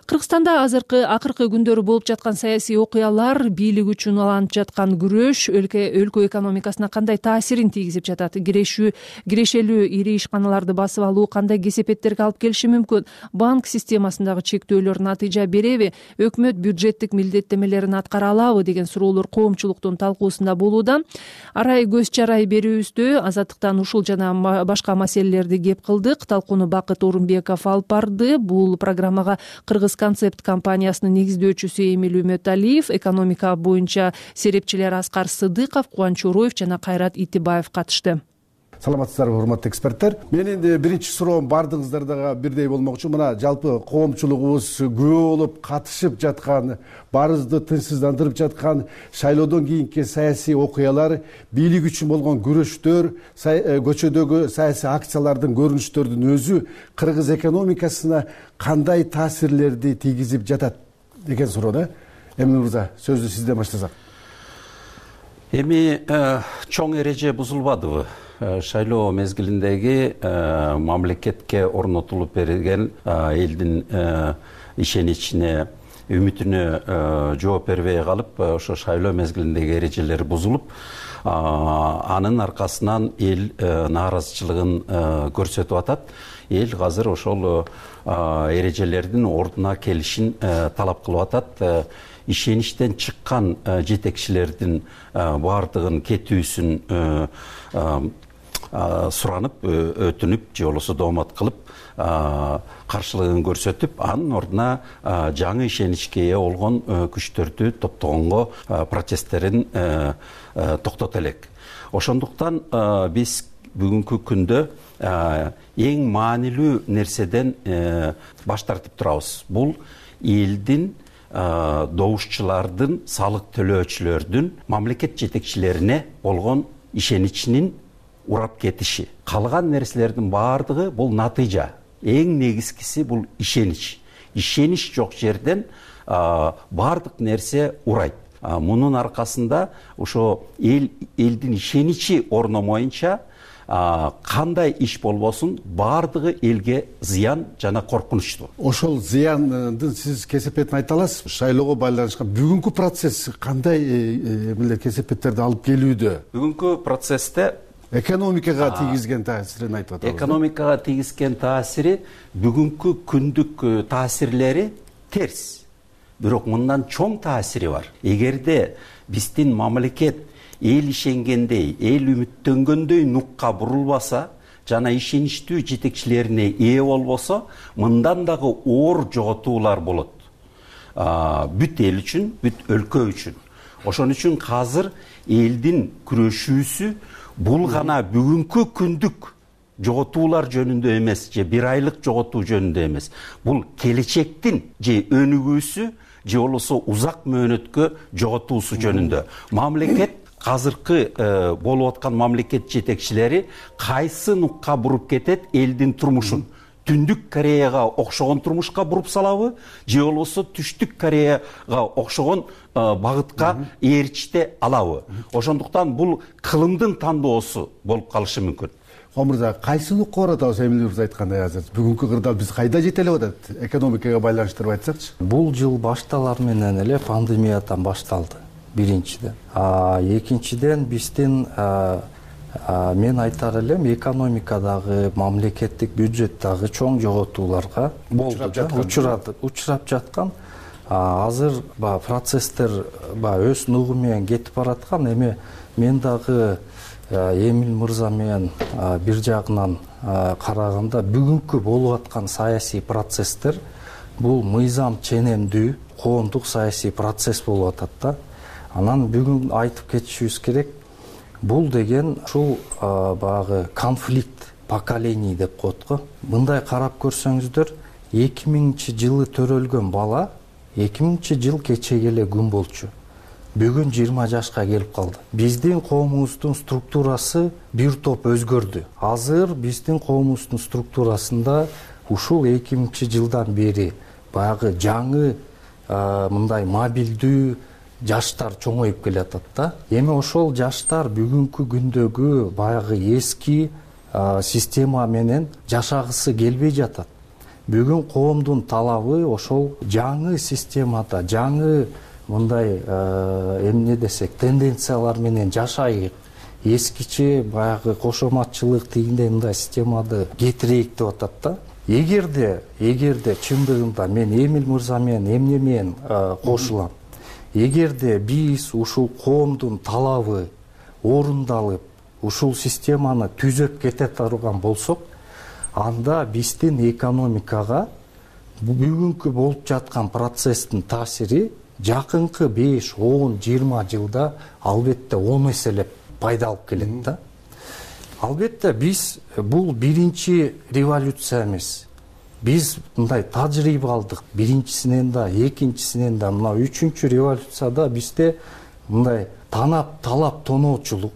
Кыргызстанда азыркы акыркы күндөрү болуп жаткан саясий окуялар, бийлик үчүн уланып жаткан күрөш өлкө өлкө экономикасына кандай таасирин тийгизип жатат? Кирешүү кирешелүү ири ишканаларды басып алуу кандай кесепеттерге алып келиши мүмкүн? Банк системасындагы чектөөлөр натыйжа береби? Өкмөт бюджеттик милдеттемелерин аткара алабы деген суроолор коомчулуктун талкуусунда болууда. Арай көз чарай берүүбүздө азаттыктан ушул жана башка маселелерди кеп кылдык. Талкууну Бакыт Орунбеков алып барды. Бул программага Кыргыз концепт компаниясынын негиздөөчүсү Эмил Үмөталиев, экономика боюнча серепчилер Аскар Сыдыков, Кубаныч Ороев жана Кайрат Итибаев катышты. Саламатсыздарбы, урматтуу эксперттер. Менин биринчи суроом бардыгыңыздардагы бирдей болмокчу. Мына жалпы коомчулугубуз күбө болуп катышып жаткан, баарыбызды тынчсыздандырып жаткан шайлоодон кийинки саясий окуялар, бийлик үчүн болгон күрөштөр, көчөдөгү саясий акциялардын көрүнүштөрдүн өзү кыргыз экономикасына кандай таасирлерди тийгизип жатат деген суроо да. Эмил мырза, сөздү сизден баштасак. Эми чоң эреже бузулбадыбы? Шайлоо мезгилиндеги мамлекетке орнотулуп берилген элдин ишеничине, үмүтүнө жооп бербей калып, ошо шайлоо мезгилиндеги эрежелер бузулуп, анын аркасынан эл нааразычылыгын көрсөтүп атат. Эл азыр ошол эрежелердин ордуна келишин талап кылып атат. Ишеништен чыккан жетекчилердин баардыгын кетүүсүн суранып, өтүнүп, же болбосо доомат кылып, каршылыгын көрсөтүп, анын ордуна жаңы ишеничке ээ болгон күчтөрдү топтогонго протесттерин токтото элек. Ошондуктан биз бүгүнкү күндө эң маанилүү нерседен баш тартып турабыз. Бул элдин, добушчулардын, салык төлөөчүлөрдүн мамлекет жетекчилерине болгон ишеничинин урап кетиши. Калган нерселердин баардыгы бул натыйжа. Эң негизгиси бул ишенич. Ишенич жок жерден баардык нерсе урайт. Мунун аркасында ошо эл элдин ишеничи орномоюнча кандай иш болбосун баардыгы элге зыян жана коркунучтуу. Ошол зыяндын сиз кесепетин айта аласызбы? Шайлоого байланышкан бүгүнкү процесс кандай эмелер кесепеттерди алып келүүдө? Бүгүнкү процессте экономикага тийгизген таасирин айтып атабыз. Экономикага тийгизген таасири бүгүнкү күндүк таасирлери терс. Бирок мындан чоң таасири бар. Эгерде биздин мамлекет эл ишенгендей, эл үмүттөнгөндөй нукка бурулбаса, жана ишеничтүү жетекчилерине ээ болбосо, мындан дагы оор жоготуулар болот. Бүт эл үчүн, бүт өлкө үчүн. Ошон үчүн азыр элдин күрөшүүсү бул гана бүгүнкү күндүк жоготуулар жөнүндө эмес, же бир айлык жоготуу жөнүндө эмес. Бул келечектин же өнүгүүсү, же болбосо узак мөөнөткө жоготуусу жөнүндө. Мамлекет азыркы болуп аткан мамлекет жетекчилери кайсы нукка буруп кетет элдин турмушун? Түндүк Кореяга окшогон турмушка буруп салабы, же болбосо Түштүк Кореяга окшогон багытка ээрчите алабы? Ошондуктан бул кылымдын тандоосу болуп калышы мүмкүн. Омурза, кайсы нукка баратабыз? Эмил мырза айткандай азыр бүгүнкү кырдаал биз кайда жете элек атат? Экономикага байланыштырып айтсакчы. Бул жыл башталар менен эле пандемиядан башталды. Биринчиден. Экинчиден биздин мен айтар элем экономикадагы, мамлекеттик бюджеттагы чоң жоготууларга болду да, учурап жаткан. Азыр процесстер өз нугу менен кетип бараткан. Эми мен дагы Эмил мырза менен бир жагынан караганда бүгүнкү болуп аткан саясий процесстер бул мыйзам ченемдүү коомдук саясий процесс болуп атат да. Анан бүгүн айтып кетишибиз керек, бул деген ушул баягы конфликт поколений деп коет го. Мындай карап көрсөңүздөр, эки миңинчи жылы төрөлгөн бала эки миңинчи жыл кечеге эле күн болчу. Бүгүн жыйырма жашка келип калды. Биздин коомубуздун структурасы бир топ өзгөрдү. Азыр биздин коомубуздун структурасында ушул эки миңинчи жылдан бери баягы жаңы мындай мобилдүү жаштар чоңоюп келатат да. Эми ошол жаштар бүгүнкү күндөгү баягы эски система менен жашагысы келбей жатат. Бүгүн коомдун талабы ошол жаңы системада, жаңы мындай эмне десек, тенденциялар менен жашайык, эскиче баягы кошоматчылык тигиндей мындай системады кетирейик деп атат да. Эгерде, эгерде чындыгында мен Эмил мырза менен эмне менен кошулам. Эгерде биз ушул коомдун талабы орундалып, ушул системаны түзөп кете турган болсок, анда биздин экономикага бүгүнкү болуп жаткан процесстин таасири жакынкы беш, он, жыйырма жылда албетте он эселеп пайда алып келет да. Албетте биз бул биринчи революция эмес. Биз мындай тажрыйба алдык. Биринчисинен да, экинчисинен да, мына үчүнчү революцияда бизде мындай танап, талап тоноочулук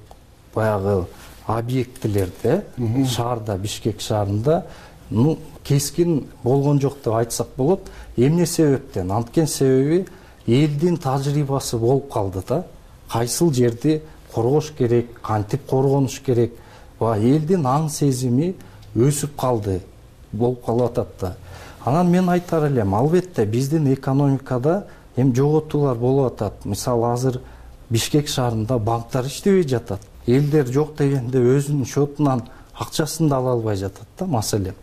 баягы объектилерде, шаарда, Бишкек шаарында ну кескин болгон жок деп айтсак болот. Эмне себептен? Анткени себеби элдин тажрыйбасы болуп калды да. Кайсыл жерди коргош керек, кантип коргонуш керек. Элдин аң сезими өсүп калды, болуп калып атат да. Анан мен айтар элем, албетте биздин экономикада эми жоготуулар болуп атат. Мисалы азыр Бишкек шаарында банктар иштебей жатат. Элдер жок дегенде өзүнүн счетунан акчасын да ала албай жатат да, маселе.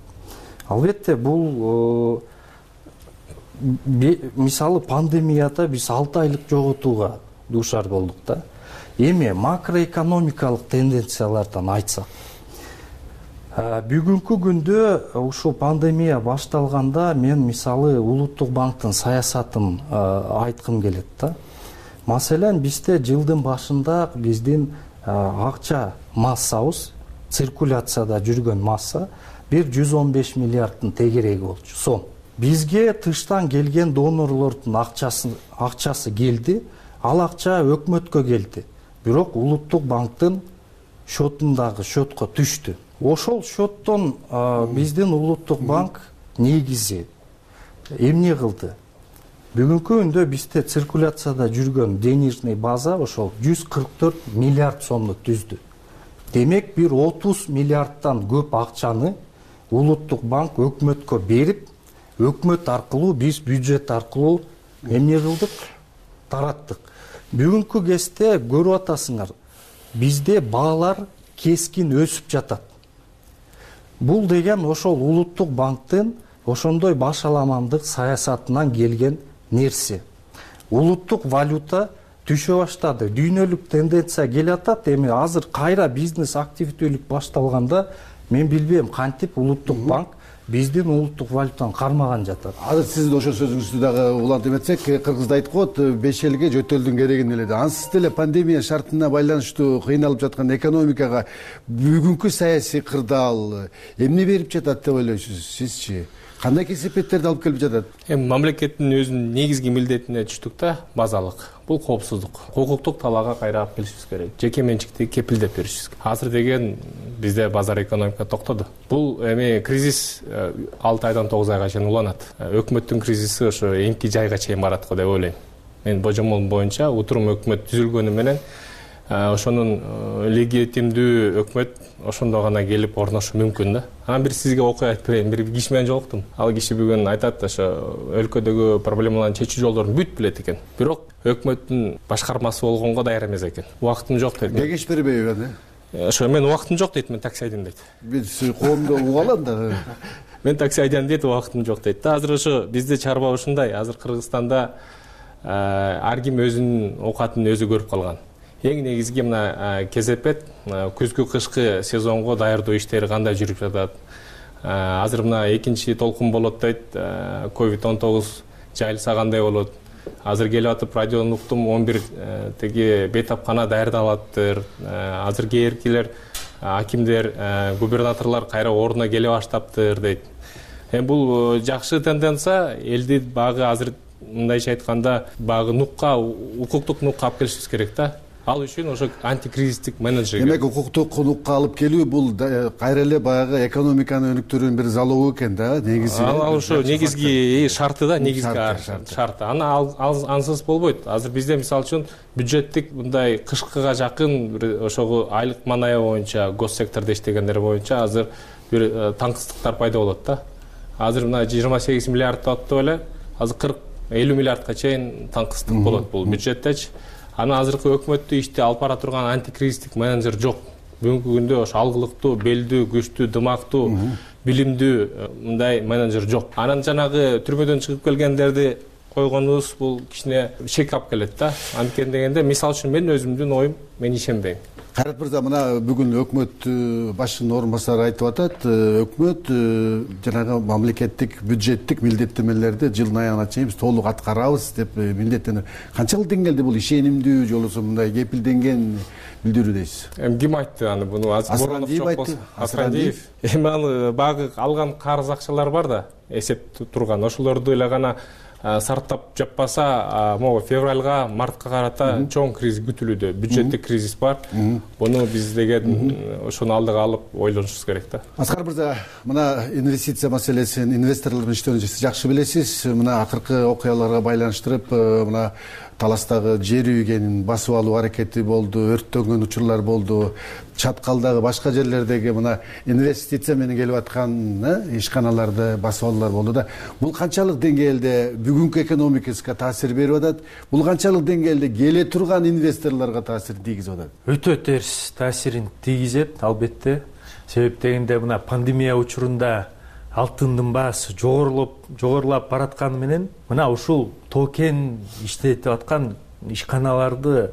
Албетте бул мисалы пандемияда биз алты айлык жоготууга дуушар болдук да. Эми макроэкономикалык тенденциялардан айтсак, бүгүнкү күндө ушул пандемия башталганда мен мисалы Улуттук банктын саясатын айткым келет да. Маселен, бизде жылдын башында биздин акча массабыз, циркуляцияда жүргөн масса бир жүз он беш миллиардтын тегереги болчу, сом. Бизге тыштан келген донорлордун акчасы акчасы келди, ал акча өкмөткө келди. Бирок Улуттук банктын счетундагы счетко түштү. Ошол счеттон биздин Улуттук банк негизи эмне кылды? Бүгүнкү күндө бизде циркуляцияда жүргөн денежный база ошол жүз кырк төрт миллиард сомду түздү. Демек, бир отуз миллиардтан көп акчаны Улуттук банк өкмөткө берип, өкмөт аркылуу, биз бюджет аркылуу эмне кылдык? Тараттык. Бүгүнкү кезде көрүп атасыңар, бизде баалар кескин өсүп жатат. Бул деген ошол Улуттук банктын ошондой башаламандык саясатынан келген нерсе. Улуттук валюта түшө баштады. Дүйнөлүк тенденция келе атат. Эми азыр кайра бизнес активдүүлүк башталганда мен билбейм кантип Улуттук банк биздин улуттук валютаны кармаган жатат. Азыр сиздин ошол сөзүңүздү дагы улантып этсек, кыргызда айтып коет, беш элге жөтөлдүн керегин эле. Ансыз деле пандемия шартына байланыштуу кыйналып жаткан экономикага бүгүнкү саясий кырдаал эмне берип жатат деп ойлойсуз сизчи? Кандай кесепеттерди алып келип жатат? Эми мамлекеттин өзүнүн негизги милдетине түштүк да, базалык. Бул коопсуздук. Укуктук талаага кайра алып келишибиз керек. Жеке менчикти кепилдеп беришибиз керек. Азыр деген бизде базар экономика токтоду. Бул эми кризис алты айдан тогуз айга чейин уланат. Өкмөттүн кризиси ошо эмки жайга чейин барат го деп ойлойм. Мен божомолум боюнча утурум өкмөт түзүлгөнү менен ошонун легитимдүү өкмөт ошондо гана келип орношу мүмкүн да. Анан бир сизге окуя айтып берейин. Бир киши менен жолуктум. Ал киши бүгүн айтат, ошо өлкөдөгү проблемаларды чечүү жолдорун бүт билет экен. Бирок өкмөттүн башкармасы болгонго даяр эмес экен. Убактым жок дейт. Кеңеш бербейби аны? Ошо мен убактым жок дейт, мен такси айдайм дейт. Биз коомдо угалам да. Мен такси айдайм дейт, убактым жок дейт. Азыр ошо бизде чарба ушундай. Азыр Кыргызстанда ар ким өзүнүн оокатын өзү көрүп калган. Эң негизги мына кезепет күзгү кышкы сезонго даярдоо иштери кандай жүрүп жатат, азыр мына экинчи толкун болот дейт, ковид он тогуз жайылсагандай болот. Азыр келип атып радиодон уктум, он бир теги бейтапкана даярдалаттыр. Азыр кээркилер, акимдер, губернаторлор кайра ордуна келе баштаптыр дейт. Эми бул жакшы тенденция. Элди багы азыр мындайча айтканда багы нукка, укуктук нукка алып келишибиз керек да. Ал үчүн ошо антикризистик менеджер. Демек укуктук нукка алып келүү бул кайра эле баягы экономиканы өнүктүрүүнүн бир залогу экен да, негизи. Ал ошо негизги шарты да, негизги шарты. Аны ансыз болбойт. Азыр бизде мисалы үчүн бюджеттик мындай кышкыга жакын ошого айлык маная боюнча, гос сектордо иштегендер боюнча азыр бир таңкыстыктар пайда болот да. Азыр мына жыйырма сегиз миллиард аттып эле, азыр кырк элүү миллиардка чейин таңкыстык болот бул бюджеттечи. Аны азыркы өкмөттү ишти алып бара турган антикризистик менеджер жок. Бүгүнкү күндө ошо алгылыктуу, белдүү, күчтүү, дымактуу, билимдүү мындай менеджер жок. Анан жанагы түрмөдөн чыгып келгендерди койгонубуз бул кичине шек алып келет да. Анткени дегенде, мисалы үчүн мен өзүмдүн оюм, мен ишенбейм. Кайрат мырза, мына бүгүн өкмөт башчынын орун басары айтып атат, өкмөт жанагы мамлекеттик бюджеттик милдеттенмелерди жылдын аягына чейин биз толук аткарабыз деп милдеттенип. Канчалык деңгээлде бул ишенимдүү же болбосо мындай кепилденген билдирүү дейсиз? Эми ким айтты аны? Буну Асрандиев айтты. Асрандиев. Эми аны багы алган карыз акчалар бар да, эсеп турган. Ошолорду эле гана сарптап жаппаса, могу февралга, мартка карата чоң кризис күтүлүүдө, бюджеттик кризис бар. Буну биз деген ошону алдыга алып ойлонушубуз керек да. Аскар мырза, мына инвестиция маселесин, инвесторлор менен иштөөнү сиз жакшы билесиз. Мына акыркы окуяларга байланыштырып, мына Таластагы жер үйгенин басып алуу аракети болду, өрттөнгөн учурлар болду. Чаткалдагы башка жерлердеги мына инвестиция менен келип аткан ишканаларды басып алуулар болду да. Бул канчалык деңгээлде бүгүнкү экономикасына таасир берип атат? Бул канчалык деңгээлде келе турган инвесторлорго таасир тийгизип атат? Өтө терс таасирин тийгизет, албетте. Себеп дегенде мына пандемия учурунда алтындын баасы жогорулап жогорулап баратканы менен мына ушул токен иштетип аткан ишканаларды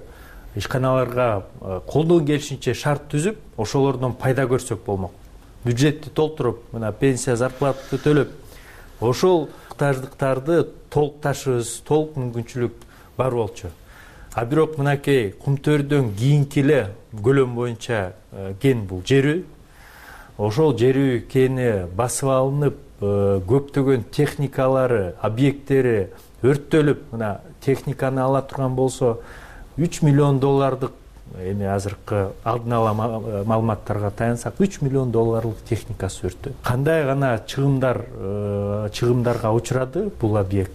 ишканаларга колдон келишинче шарт түзүп, ошолордон пайда көрсөк болмок. Бюджетти толтуруп, мына пенсия, зарплатты төлөп, ошол муктаждыктарды толукташыбыз, толук мүмкүнчүлүк бар болчу. А бирок мынакей Кумтөрдөн кийинки эле көлөм боюнча кен бул жер үй. Ошол жер үй кени басып алынып, көптөгөн техникалары, объекттери өрттөлүп, мына техниканы ала турган болсо үч миллион доллардык, эми азыркы алдын ала маалыматтарга таянсак, үч миллион долларлык техникасы өрттү. Кандай гана чыгымдар чыгымдарга учурады бул объект?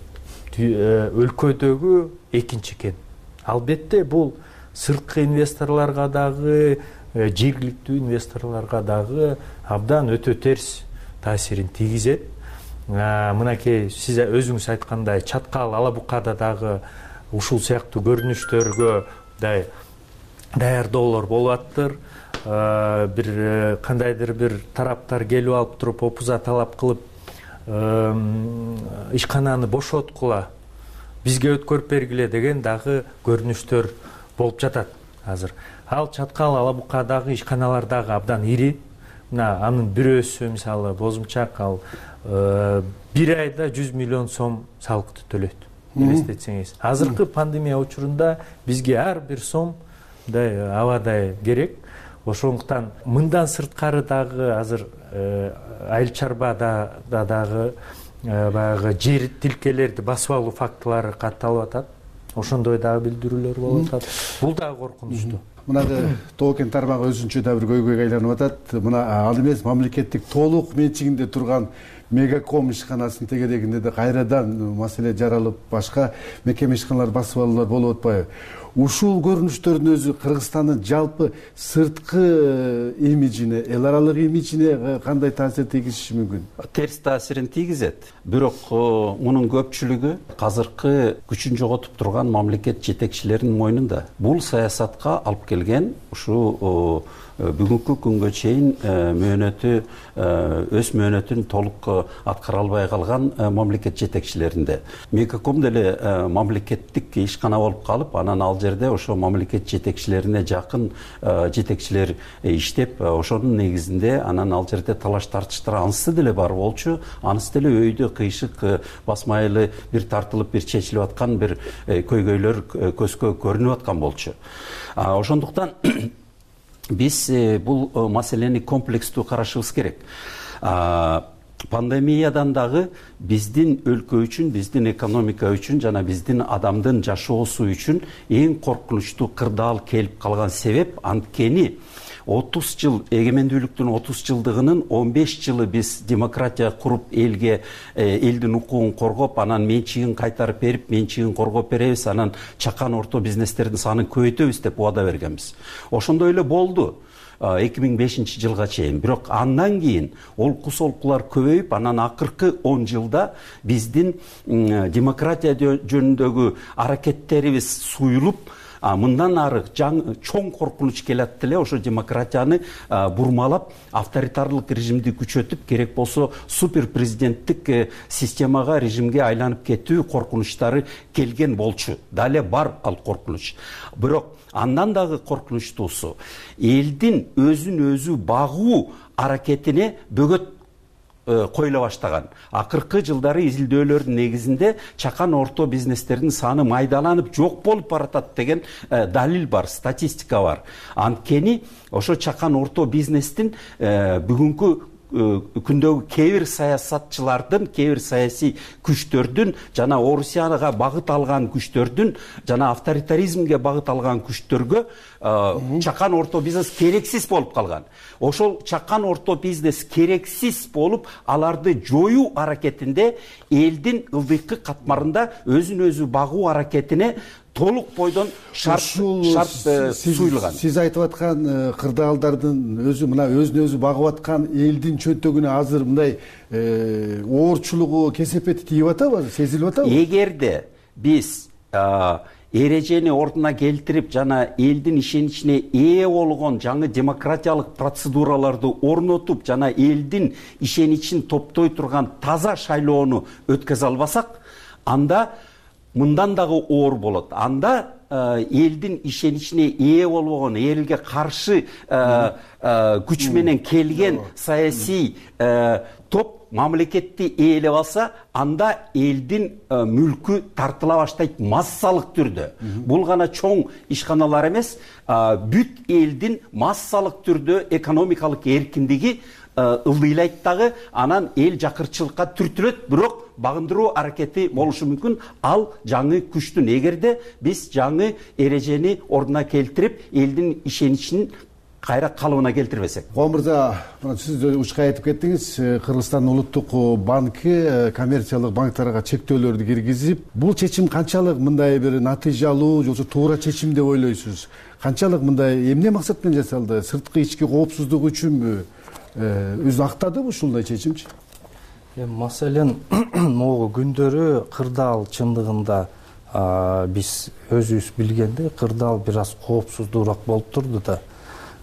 Өлкөдөгү экинчи кен. Албетте бул сырткы инвесторлорго дагы, жергиликтүү инвесторлорго дагы абдан өтө терс таасирин тийгизет. Мынакей сиз өзүңүз айткандай Чаткал, Ала Букада дагы ушул сыяктуу көрүнүштөргө даярдоолор болуп аттыр. Бир кандайдыр бир тараптар келип алып туруп опуза талап кылып ишкананы бошоткула, бизге өткөрүп бергиле деген дагы көрүнүштөр болуп жатат азыр. Ал Чаткал, Ала Букадагы ишканалар дагы абдан ири. Мына анын бирөөсү мисалы Бозумчак, ал бир айда жүз миллион сом салыкты төлөйт. Элестетсеңиз, азыркы пандемия учурунда бизге ар бир сом мындай абадай керек. Ошондуктан мындан сырткары дагы азыр айыл чарбада дагы баягы жер тилкелерди басып алуу фактылары катталып атат. Ошондой дагы билдирүүлөр болуп атат. Бул дагы коркунучтуу. Мынагы токен тармагы өзүнчө да бир көйгөйгө айланып атат. Мына ал эмес мамлекеттик толук менчигинде турган Мегаком ишканасын тегерегинде де кайрадан маселе жаралып, башка мекеме ишканалар басып алуулар болуп атпайбы? Ушул көрүнүштөрдүн өзү Кыргызстандын жалпы сырткы имиджине, эл аралык имиджине кандай таасир тийгизиши мүмкүн? Терс таасирин тийгизет. Бирок мунун көпчүлүгү азыркы күчүн жоготуп турган мамлекет жетекчилеринин мойнунда. Бул саясатка алып келген ушул бүгүнкү күнгө чейин мөөнөтү өз мөөнөтүн толук аткара албай калган мамлекет жетекчилеринде. Мегаком деле мамлекеттик ишкана болуп калып, анан ал жерде ошо мамлекет жетекчилерине жакын жетекчилер иштеп, ошонун негизинде анан ал жерде талаш тартыштар анысы деле бар болчу. Анысы деле өйдө кыйшык басмайлы бир тартылып бир чечилип аткан бир көйгөйлөр көзгө көрүнүп аткан болчу. Ошондуктан биз бул маселени комплекстүү карашыбыз керек. Пандемиядан дагы биздин өлкө үчүн, биздин экономика үчүн жана биздин адамдын жашоосу үчүн эң коркунучтуу кырдаал келип калган себеп анткени отуз жыл эгемендүүлүктүн отуз жылдыгынын он беш жылы биз демократия куруп, элге элдин укугун коргоп, анан менчигин кайтарып берип, менчигин коргоп беребиз, анан чакан орто бизнестердин санын көбөйтөбүз деп убада бергенбиз. Ошондой эле болду эки миң бешинчи жылга чейин. Бирок андан кийин олку солкулар көбөйүп, анан акыркы он жылда биздин демократия жөнүндөгү аракеттерибиз суюлуп, мындан ары чоң коркунуч келат деле, ошо демократияны бурмалап, авторитарлык режимди күчөтүп, керек болсо супер президенттик системага, режимге айланып кетүү коркунучтары келген болчу. Дале бар ал коркунуч. Бирок андан дагы коркунучтуусу элдин өзүн өзү багуу аракетине бөгөт коюла баштаган. Акыркы жылдары изилдөөлөрдүн негизинде чакан орто бизнестердин саны майдаланып жок болуп баратат деген далил бар, статистика бар. Анткени ошо чакан орто бизнестин бүгүнкү күндөгү кээ бир саясатчылардын, кээ бир саясий күчтөрдүн жана Орусияга багыт алган күчтөрдүн жана авторитаризмге багыт алган күчтөргө чакан орто бизнес керексиз болуп калган. Ошол чакан орто бизнес керексиз болуп, аларды жоюу аракетинде элдин ылдыйкы катмарында өзүн өзү багуу аракетине толук бойдон шарт шарт суюлган. Сиз айтып аткан кырдаалдардын өзү мына өзүн өзү багып аткан элдин чөнтөгүнө азыр мындай оорчулугу, кесепети тийип атабы, сезилип атабы? Эгерде биз эрежени ордуна келтирип жана элдин ишеничине ээ болгон жаңы демократиялык процедураларды орнотуп жана элдин ишеничин топтой турган таза шайлоону өткөзө албасак, анда мындан дагы оор болот. Анда элдин ишеничине ээ болбогон, элге каршы күч менен келген саясий топ мамлекетти ээлеп алса, анда элдин мүлкү тартыла баштайт массалык түрдө. Бул гана чоң ишканалар эмес, бүт элдин массалык түрдө экономикалык эркиндиги ылдыйлайт дагы, анан эл жакырчылыкка түртүлөт, бирок багындыруу аракети болушу мүмкүн. Ал жаңы күчтүн, эгерде биз жаңы эрежени ордуна келтирип, элдин ишеничин кайра калыбына келтирбесек. Коо мырза, сиз учка айтып кеттиңиз, Кыргызстандын улуттук банки коммерциялык банктарга чектөөлөрдү киргизип, бул чечим канчалык мындай бир натыйжалуу же туура чечим деп ойлойсуз? Канчалык мындай эмне максат менен жасалды? Сырткы ички коопсуздук үчүнбү? Өзү актадыбы ушундай чечимчи? Маселен, могу күндөрү кырдаал чындыгында биз өзүбүз билгендей кырдаал бир аз коопсуздуураак болуп турду да.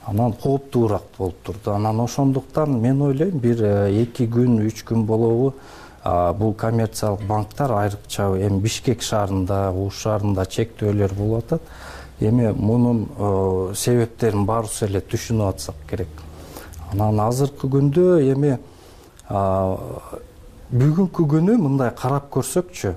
Анан кооптуураак болуп турду. Анан ошондуктан мен ойлойм, бир эки күн, үч күн болобу бул коммерциялык банктар айрыкча эми Бишкек шаарында, Ош шаарында чектөөлөр болуп атат. Эми мунун себептерин баарыбыз эле түшүнүп атсак керек. Анан азыркы күндө эми бүгүнкү күнү мындай карап көрсөкчү,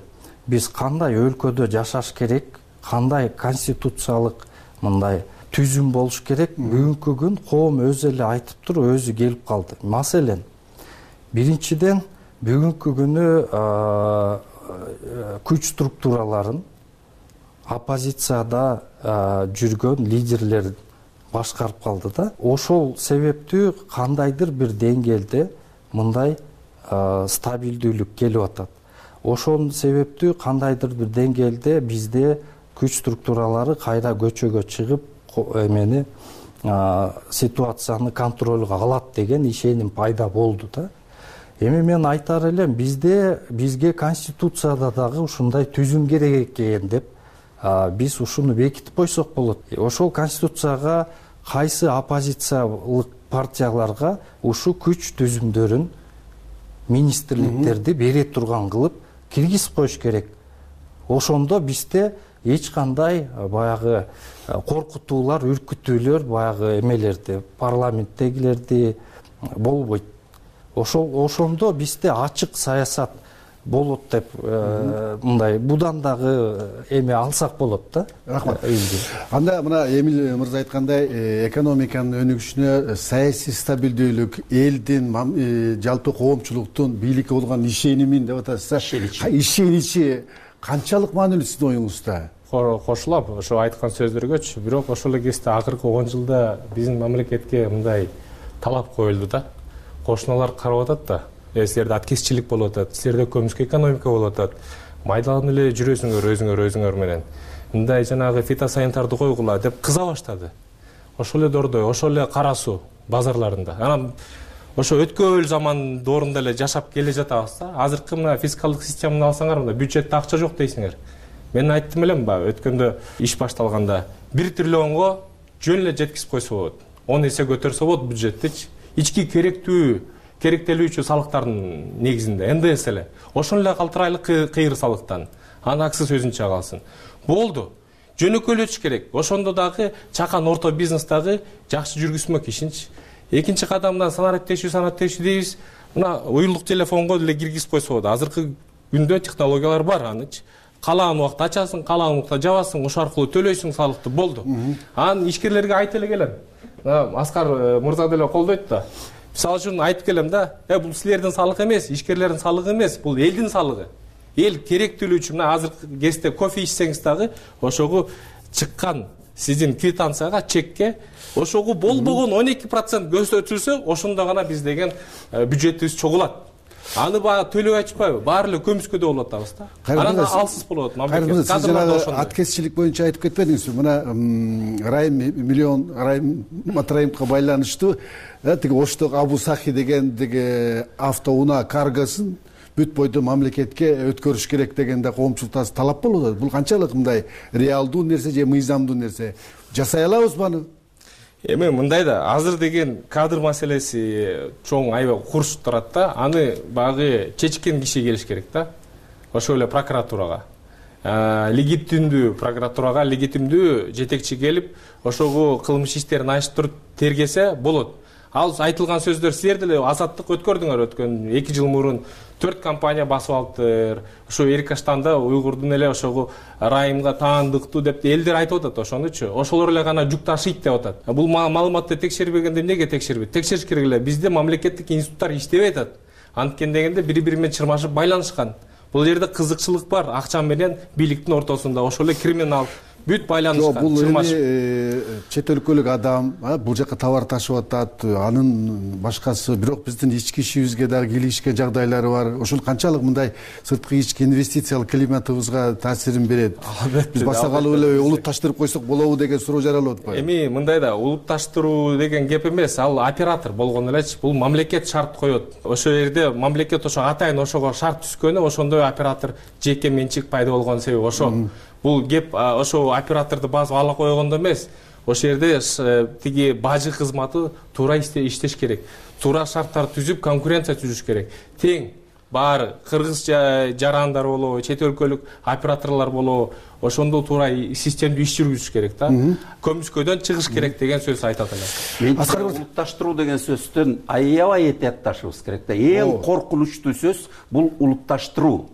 биз кандай өлкөдө жашаш керек, кандай конституциялык мындай түзүм болуш керек, бүгүнкү күн коом өзү эле айтып туруп, өзү келип калды. Маселен, биринчиден бүгүнкү күнү күч структураларын оппозицияда жүргөн лидерлер башкарып калды да. Ошол себептүү кандайдыр бир деңгээлде мындай стабилдүүлүк келип атат. Ошол себептүү кандайдыр бир деңгээлде бизде күч структуралары кайра көчөгө чыгып, эмени ситуацияны контролго алат деген ишеним пайда болду да. Эми мен айтар элем, бизде бизге конституцияда дагы ушундай түзүм керек экен деп биз ушуну бекитип койсок болот. Ошол конституцияга кайсы оппозициялык партияларга ушул күч түзүмдөрүн министрликтерди бере турган кылып киргизип коюш керек. Ошондо бизде эч кандай баягы коркутуулар, үркүтүүлөр баягы эмелерди, парламенттегилерди болбойт. Ошол ошондо бизде ачык саясат болот деп мындай будан дагы эме алсак болот да. Рахмат. Анда мына Эмил мырза айткандай, экономиканын өнүгүшүнө саясий стабилдүүлүк, элдин жалпы коомчулуктун бийликке болгон ишенимин деп атасыз. Ишеничи канчалык маанилүү сиздин оюңузда? Кошулам ошо айткан сөздөргөчү, бирок ошол эле кезде акыркы он жылда биздин мамлекетке мындай талап коюлду да. Кошуналар карап атат да. Силерде аткезчилик болуп атат, силерде көмүскө экономика болуп атат. Майдаланып эле жүрөсүңөр өзүңөр өзүңөр менен. Мындай жанагы фитосанитарды койгула деп кыза баштады. Ошол эле дордой, ошол эле кара суу базарларында. Анан ошо өткөн заман доорунда эле жашап келе жатабыз да. Азыркы мына фискалдык системаны алсаңар, мында бюджетте акча жок дейсиңер. Мен айттым элем ба, өткөндө иш башталганда бир триллионго жөн эле жеткизип койсо болот. он эсе көтөрсө болот бюджеттичи. Ички керектүү керектелүүчү салыктардын негизинде эн дэ эс эле. Ошон эле калтырайлык кыйыр салыктан. Анын аксыз өзүнчө калсын. Болду. Жөнөкөйлөтүш керек. Ошондо дагы чакан орто бизнес дагы жакшы жүргүзмөк ишинчи. Экинчи кадамдан санариптешүү, санариптешүү дейбиз. Мына уюлдук телефонго деле киргизип койсо болот. Азыркы күндө технологиялар бар анычы. Каалаган убакта ачасың, каалаган убакта жабасың, ошол аркылуу төлөйсүң салыкты, болду. Анан ишкерлерге айтып эле келем. Аскар мырза деле колдойт да. Мисалы үчүн айтып келем да, э бул силердин салыгы эмес, ишкерлердин салыгы эмес, бул элдин салыгы. Эл керектүүлүгү үчүн мына азыркы кезде кофе ичсеңиз дагы ошого чыккан сиздин квитанцияга, чекке ошого болбогон он эки процент көрсөтүлсө, ошондо гана биз деген бюджетибиз чогулат. Аны баягы төлөп айтышпайбы? Баары эле көмүскөдө болуп атабыз да. Анан алсыз болот мамлекет. Сиз жанагы аткезчилик боюнча айтып кетпедиңизби? Мына Райым миллион Райым Матраимовго байланыштуу тиги Оштогу Абу Сахи деген тиги автоунаа каргосын бүт бойдо мамлекетке өткөрүш керек дегенде коомчулуктан талап болуп атат. Бул канчалык мындай реалдуу нерсе же мыйзамдуу нерсе? Жасай алабызбы аны? Эми мындай да, азыр деген кадр маселеси чоң аябай курчуп турат да. Аны багы чечкен киши келиш керек да. Ошол эле прокуратурага. Легитимдүү прокуратурага, легитимдүү жетекчи келип, ошого кылмыш иштерин ачтырып тергесе болот. Ал айтылган сөздөр силер деле азаттык өткөрдүңөр өткөн эки жыл мурун төрт компания басып алыптыр. Ошо Эрикаштанда уйгурдун эле ошого Райымга таандыктуу деп элдер айтып атат ошонучу. Ошолор эле гана жүк ташыйт деп атат. Бул маалыматты текшербегенде эмнеге текшербейт? Текшериш керек эле. Бизде мамлекеттик институттар иштебей атат. Анткени дегенде бири-бири менен чырмашып байланышкан. Бул жерде кызыкчылык бар, акча менен бийликтин ортосунда. Ошол эле криминал бүт байланышкан. Бул эми чет өлкөлүк адам бул жака товар ташып атат, анын башкасы, бирок биздин ички ишибизге дагы кийлигишкен жагдайлары бар. Ошол канчалык мындай сырткы ички инвестициялык климатыбызга таасирин берет? Биз басакалуу эле улутташтырып койсок болобу деген суроо жаралып атпайбы? Эми мындай да, улутташтыруу деген кеп эмес, ал оператор болгон элечи. Бул мамлекет шарт коет. Ошол жерде мамлекет ошо атайын ошого шарт түзгөнү, ошондой оператор жеке менчик пайда болгон себеби ошо. Бул кеп ошо операторду басып ала койгондо эмес. Ошол жерде тиги бажы кызматы туура иштеш керек. Туура шарттар түзүп, конкуренция түзүш керек. Тең баары кыргыз жарандар болобу, чет өлкөлүк операторлор болобу, ошондо туура системдүү иш жүргүзүш керек да. Көмүскөдөн чыгыш керек деген сөз айтат эле. Улутташтыруу деген сөздөн аябай этиятташыбыз керек да. Эң коркунучтуу сөз бул улутташтыруу.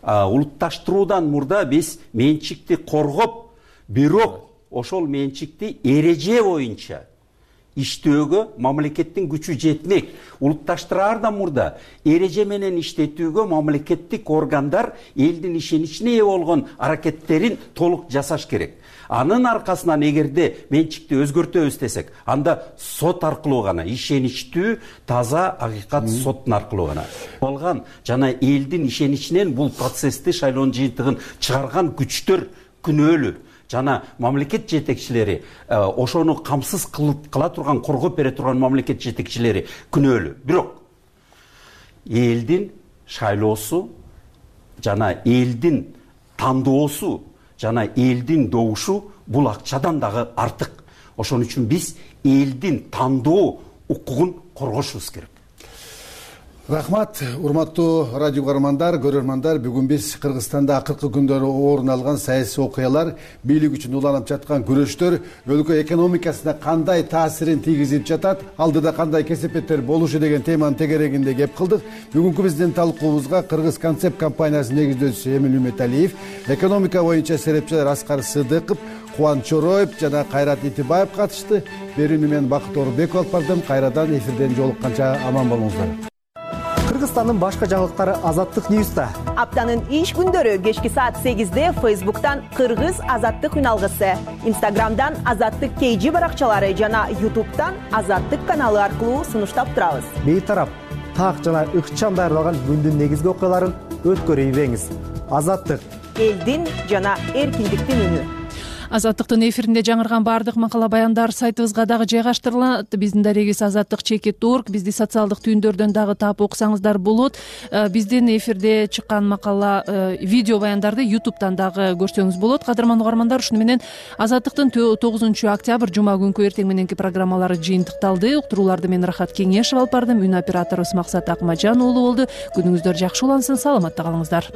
Улутташтыруудан мурда биз менчикти коргоп, бирок ошол менчикти эреже боюнча иштөөгө мамлекеттин күчү жетмек. Улутташтыраардан мурда эреже менен иштетүүгө мамлекеттик органдар элдин ишеничине ээ болгон аракеттерин толук жасаш керек. Анын аркасынан эгерде менчикти өзгөртөбүз десек, анда сот аркылуу гана, ишеничтүү, таза акыйкат соттун аркылуу гана. Болгон жана элдин ишеничинен бул процессти шайлоонун жыйынтыгын чыгарган күчтөр күнөөлүү. Жана мамлекет жетекчилери, ошону камсыз кыла турган, коргоп бере турган мамлекет жетекчилери күнөөлүү. Бирок элдин шайлоосу жана элдин тандоосу жана элдин добушу бул акчадан дагы артык. ошон үчүн биз элдин тандоо укугун коргошубуз керек. Рахмат, урматтуу радио угармандар, көрөрмандар. Бүгүн биз Кыргызстанда акыркы күндөрү орун алган саясий окуялар, бийлик үчүн уланып жаткан күрөштөр өлкө экономикасына кандай таасирин тийгизип жатат, алдыда кандай кесепеттер болушу деген теманын тегерегинде кеп кылдык. Бүгүнкү биздин талкуубузга Кыргыз концепт компаниясынын негиздөөчүсү Эмил Үмөталиев, экономика боюнча серепчилер Аскар Сыдыков, Кубаныч Чороев жана Кайрат Итибаев катышты. Берүүнү мен Бакыт Орунбеков алып бардым. Кайрадан эфирден жолукканча аман болуңуздар. Кыргызстандын башка жаңылыктары Азаттык Ньюста. Аптанын иш күндөрү кечки саат сегизде Фейсбуктан Кыргыз Азаттык үналгысы, Инстаграмдан Азаттык кей жи баракчалары жана Ютубтан Азаттык каналы аркылуу сунуштап турабыз. Бейтарап, так жана ыкчам даярдалган күндүн негизги окуяларын өткөрүйбеңиз. Азаттык элдин жана эркиндиктин үнү. Азаттыктын эфиринде жаңырган баардык макала баяндар сайтыбызга дагы жайгаштырылат. Биздин дарегибиз азаттык чекит орг. Бизди социалдык түйүндөрдөн дагы таап окусаңыздар болот. Биздин эфирде чыккан макала, видео баяндарды Ютубтан дагы көрсөңүз болот. Кадырман угармандар, ушуну менен Азаттыктын тогузунчу октябрь жума күнкү эртең мененки программалары жыйынтыкталды. Уктурууларды мен Рахат Кеңешев алып бардым. Үн операторубуз Максат Акмажан уулу болду. Күнүңүздөр жакшы улансын, саламатта калыңыздар.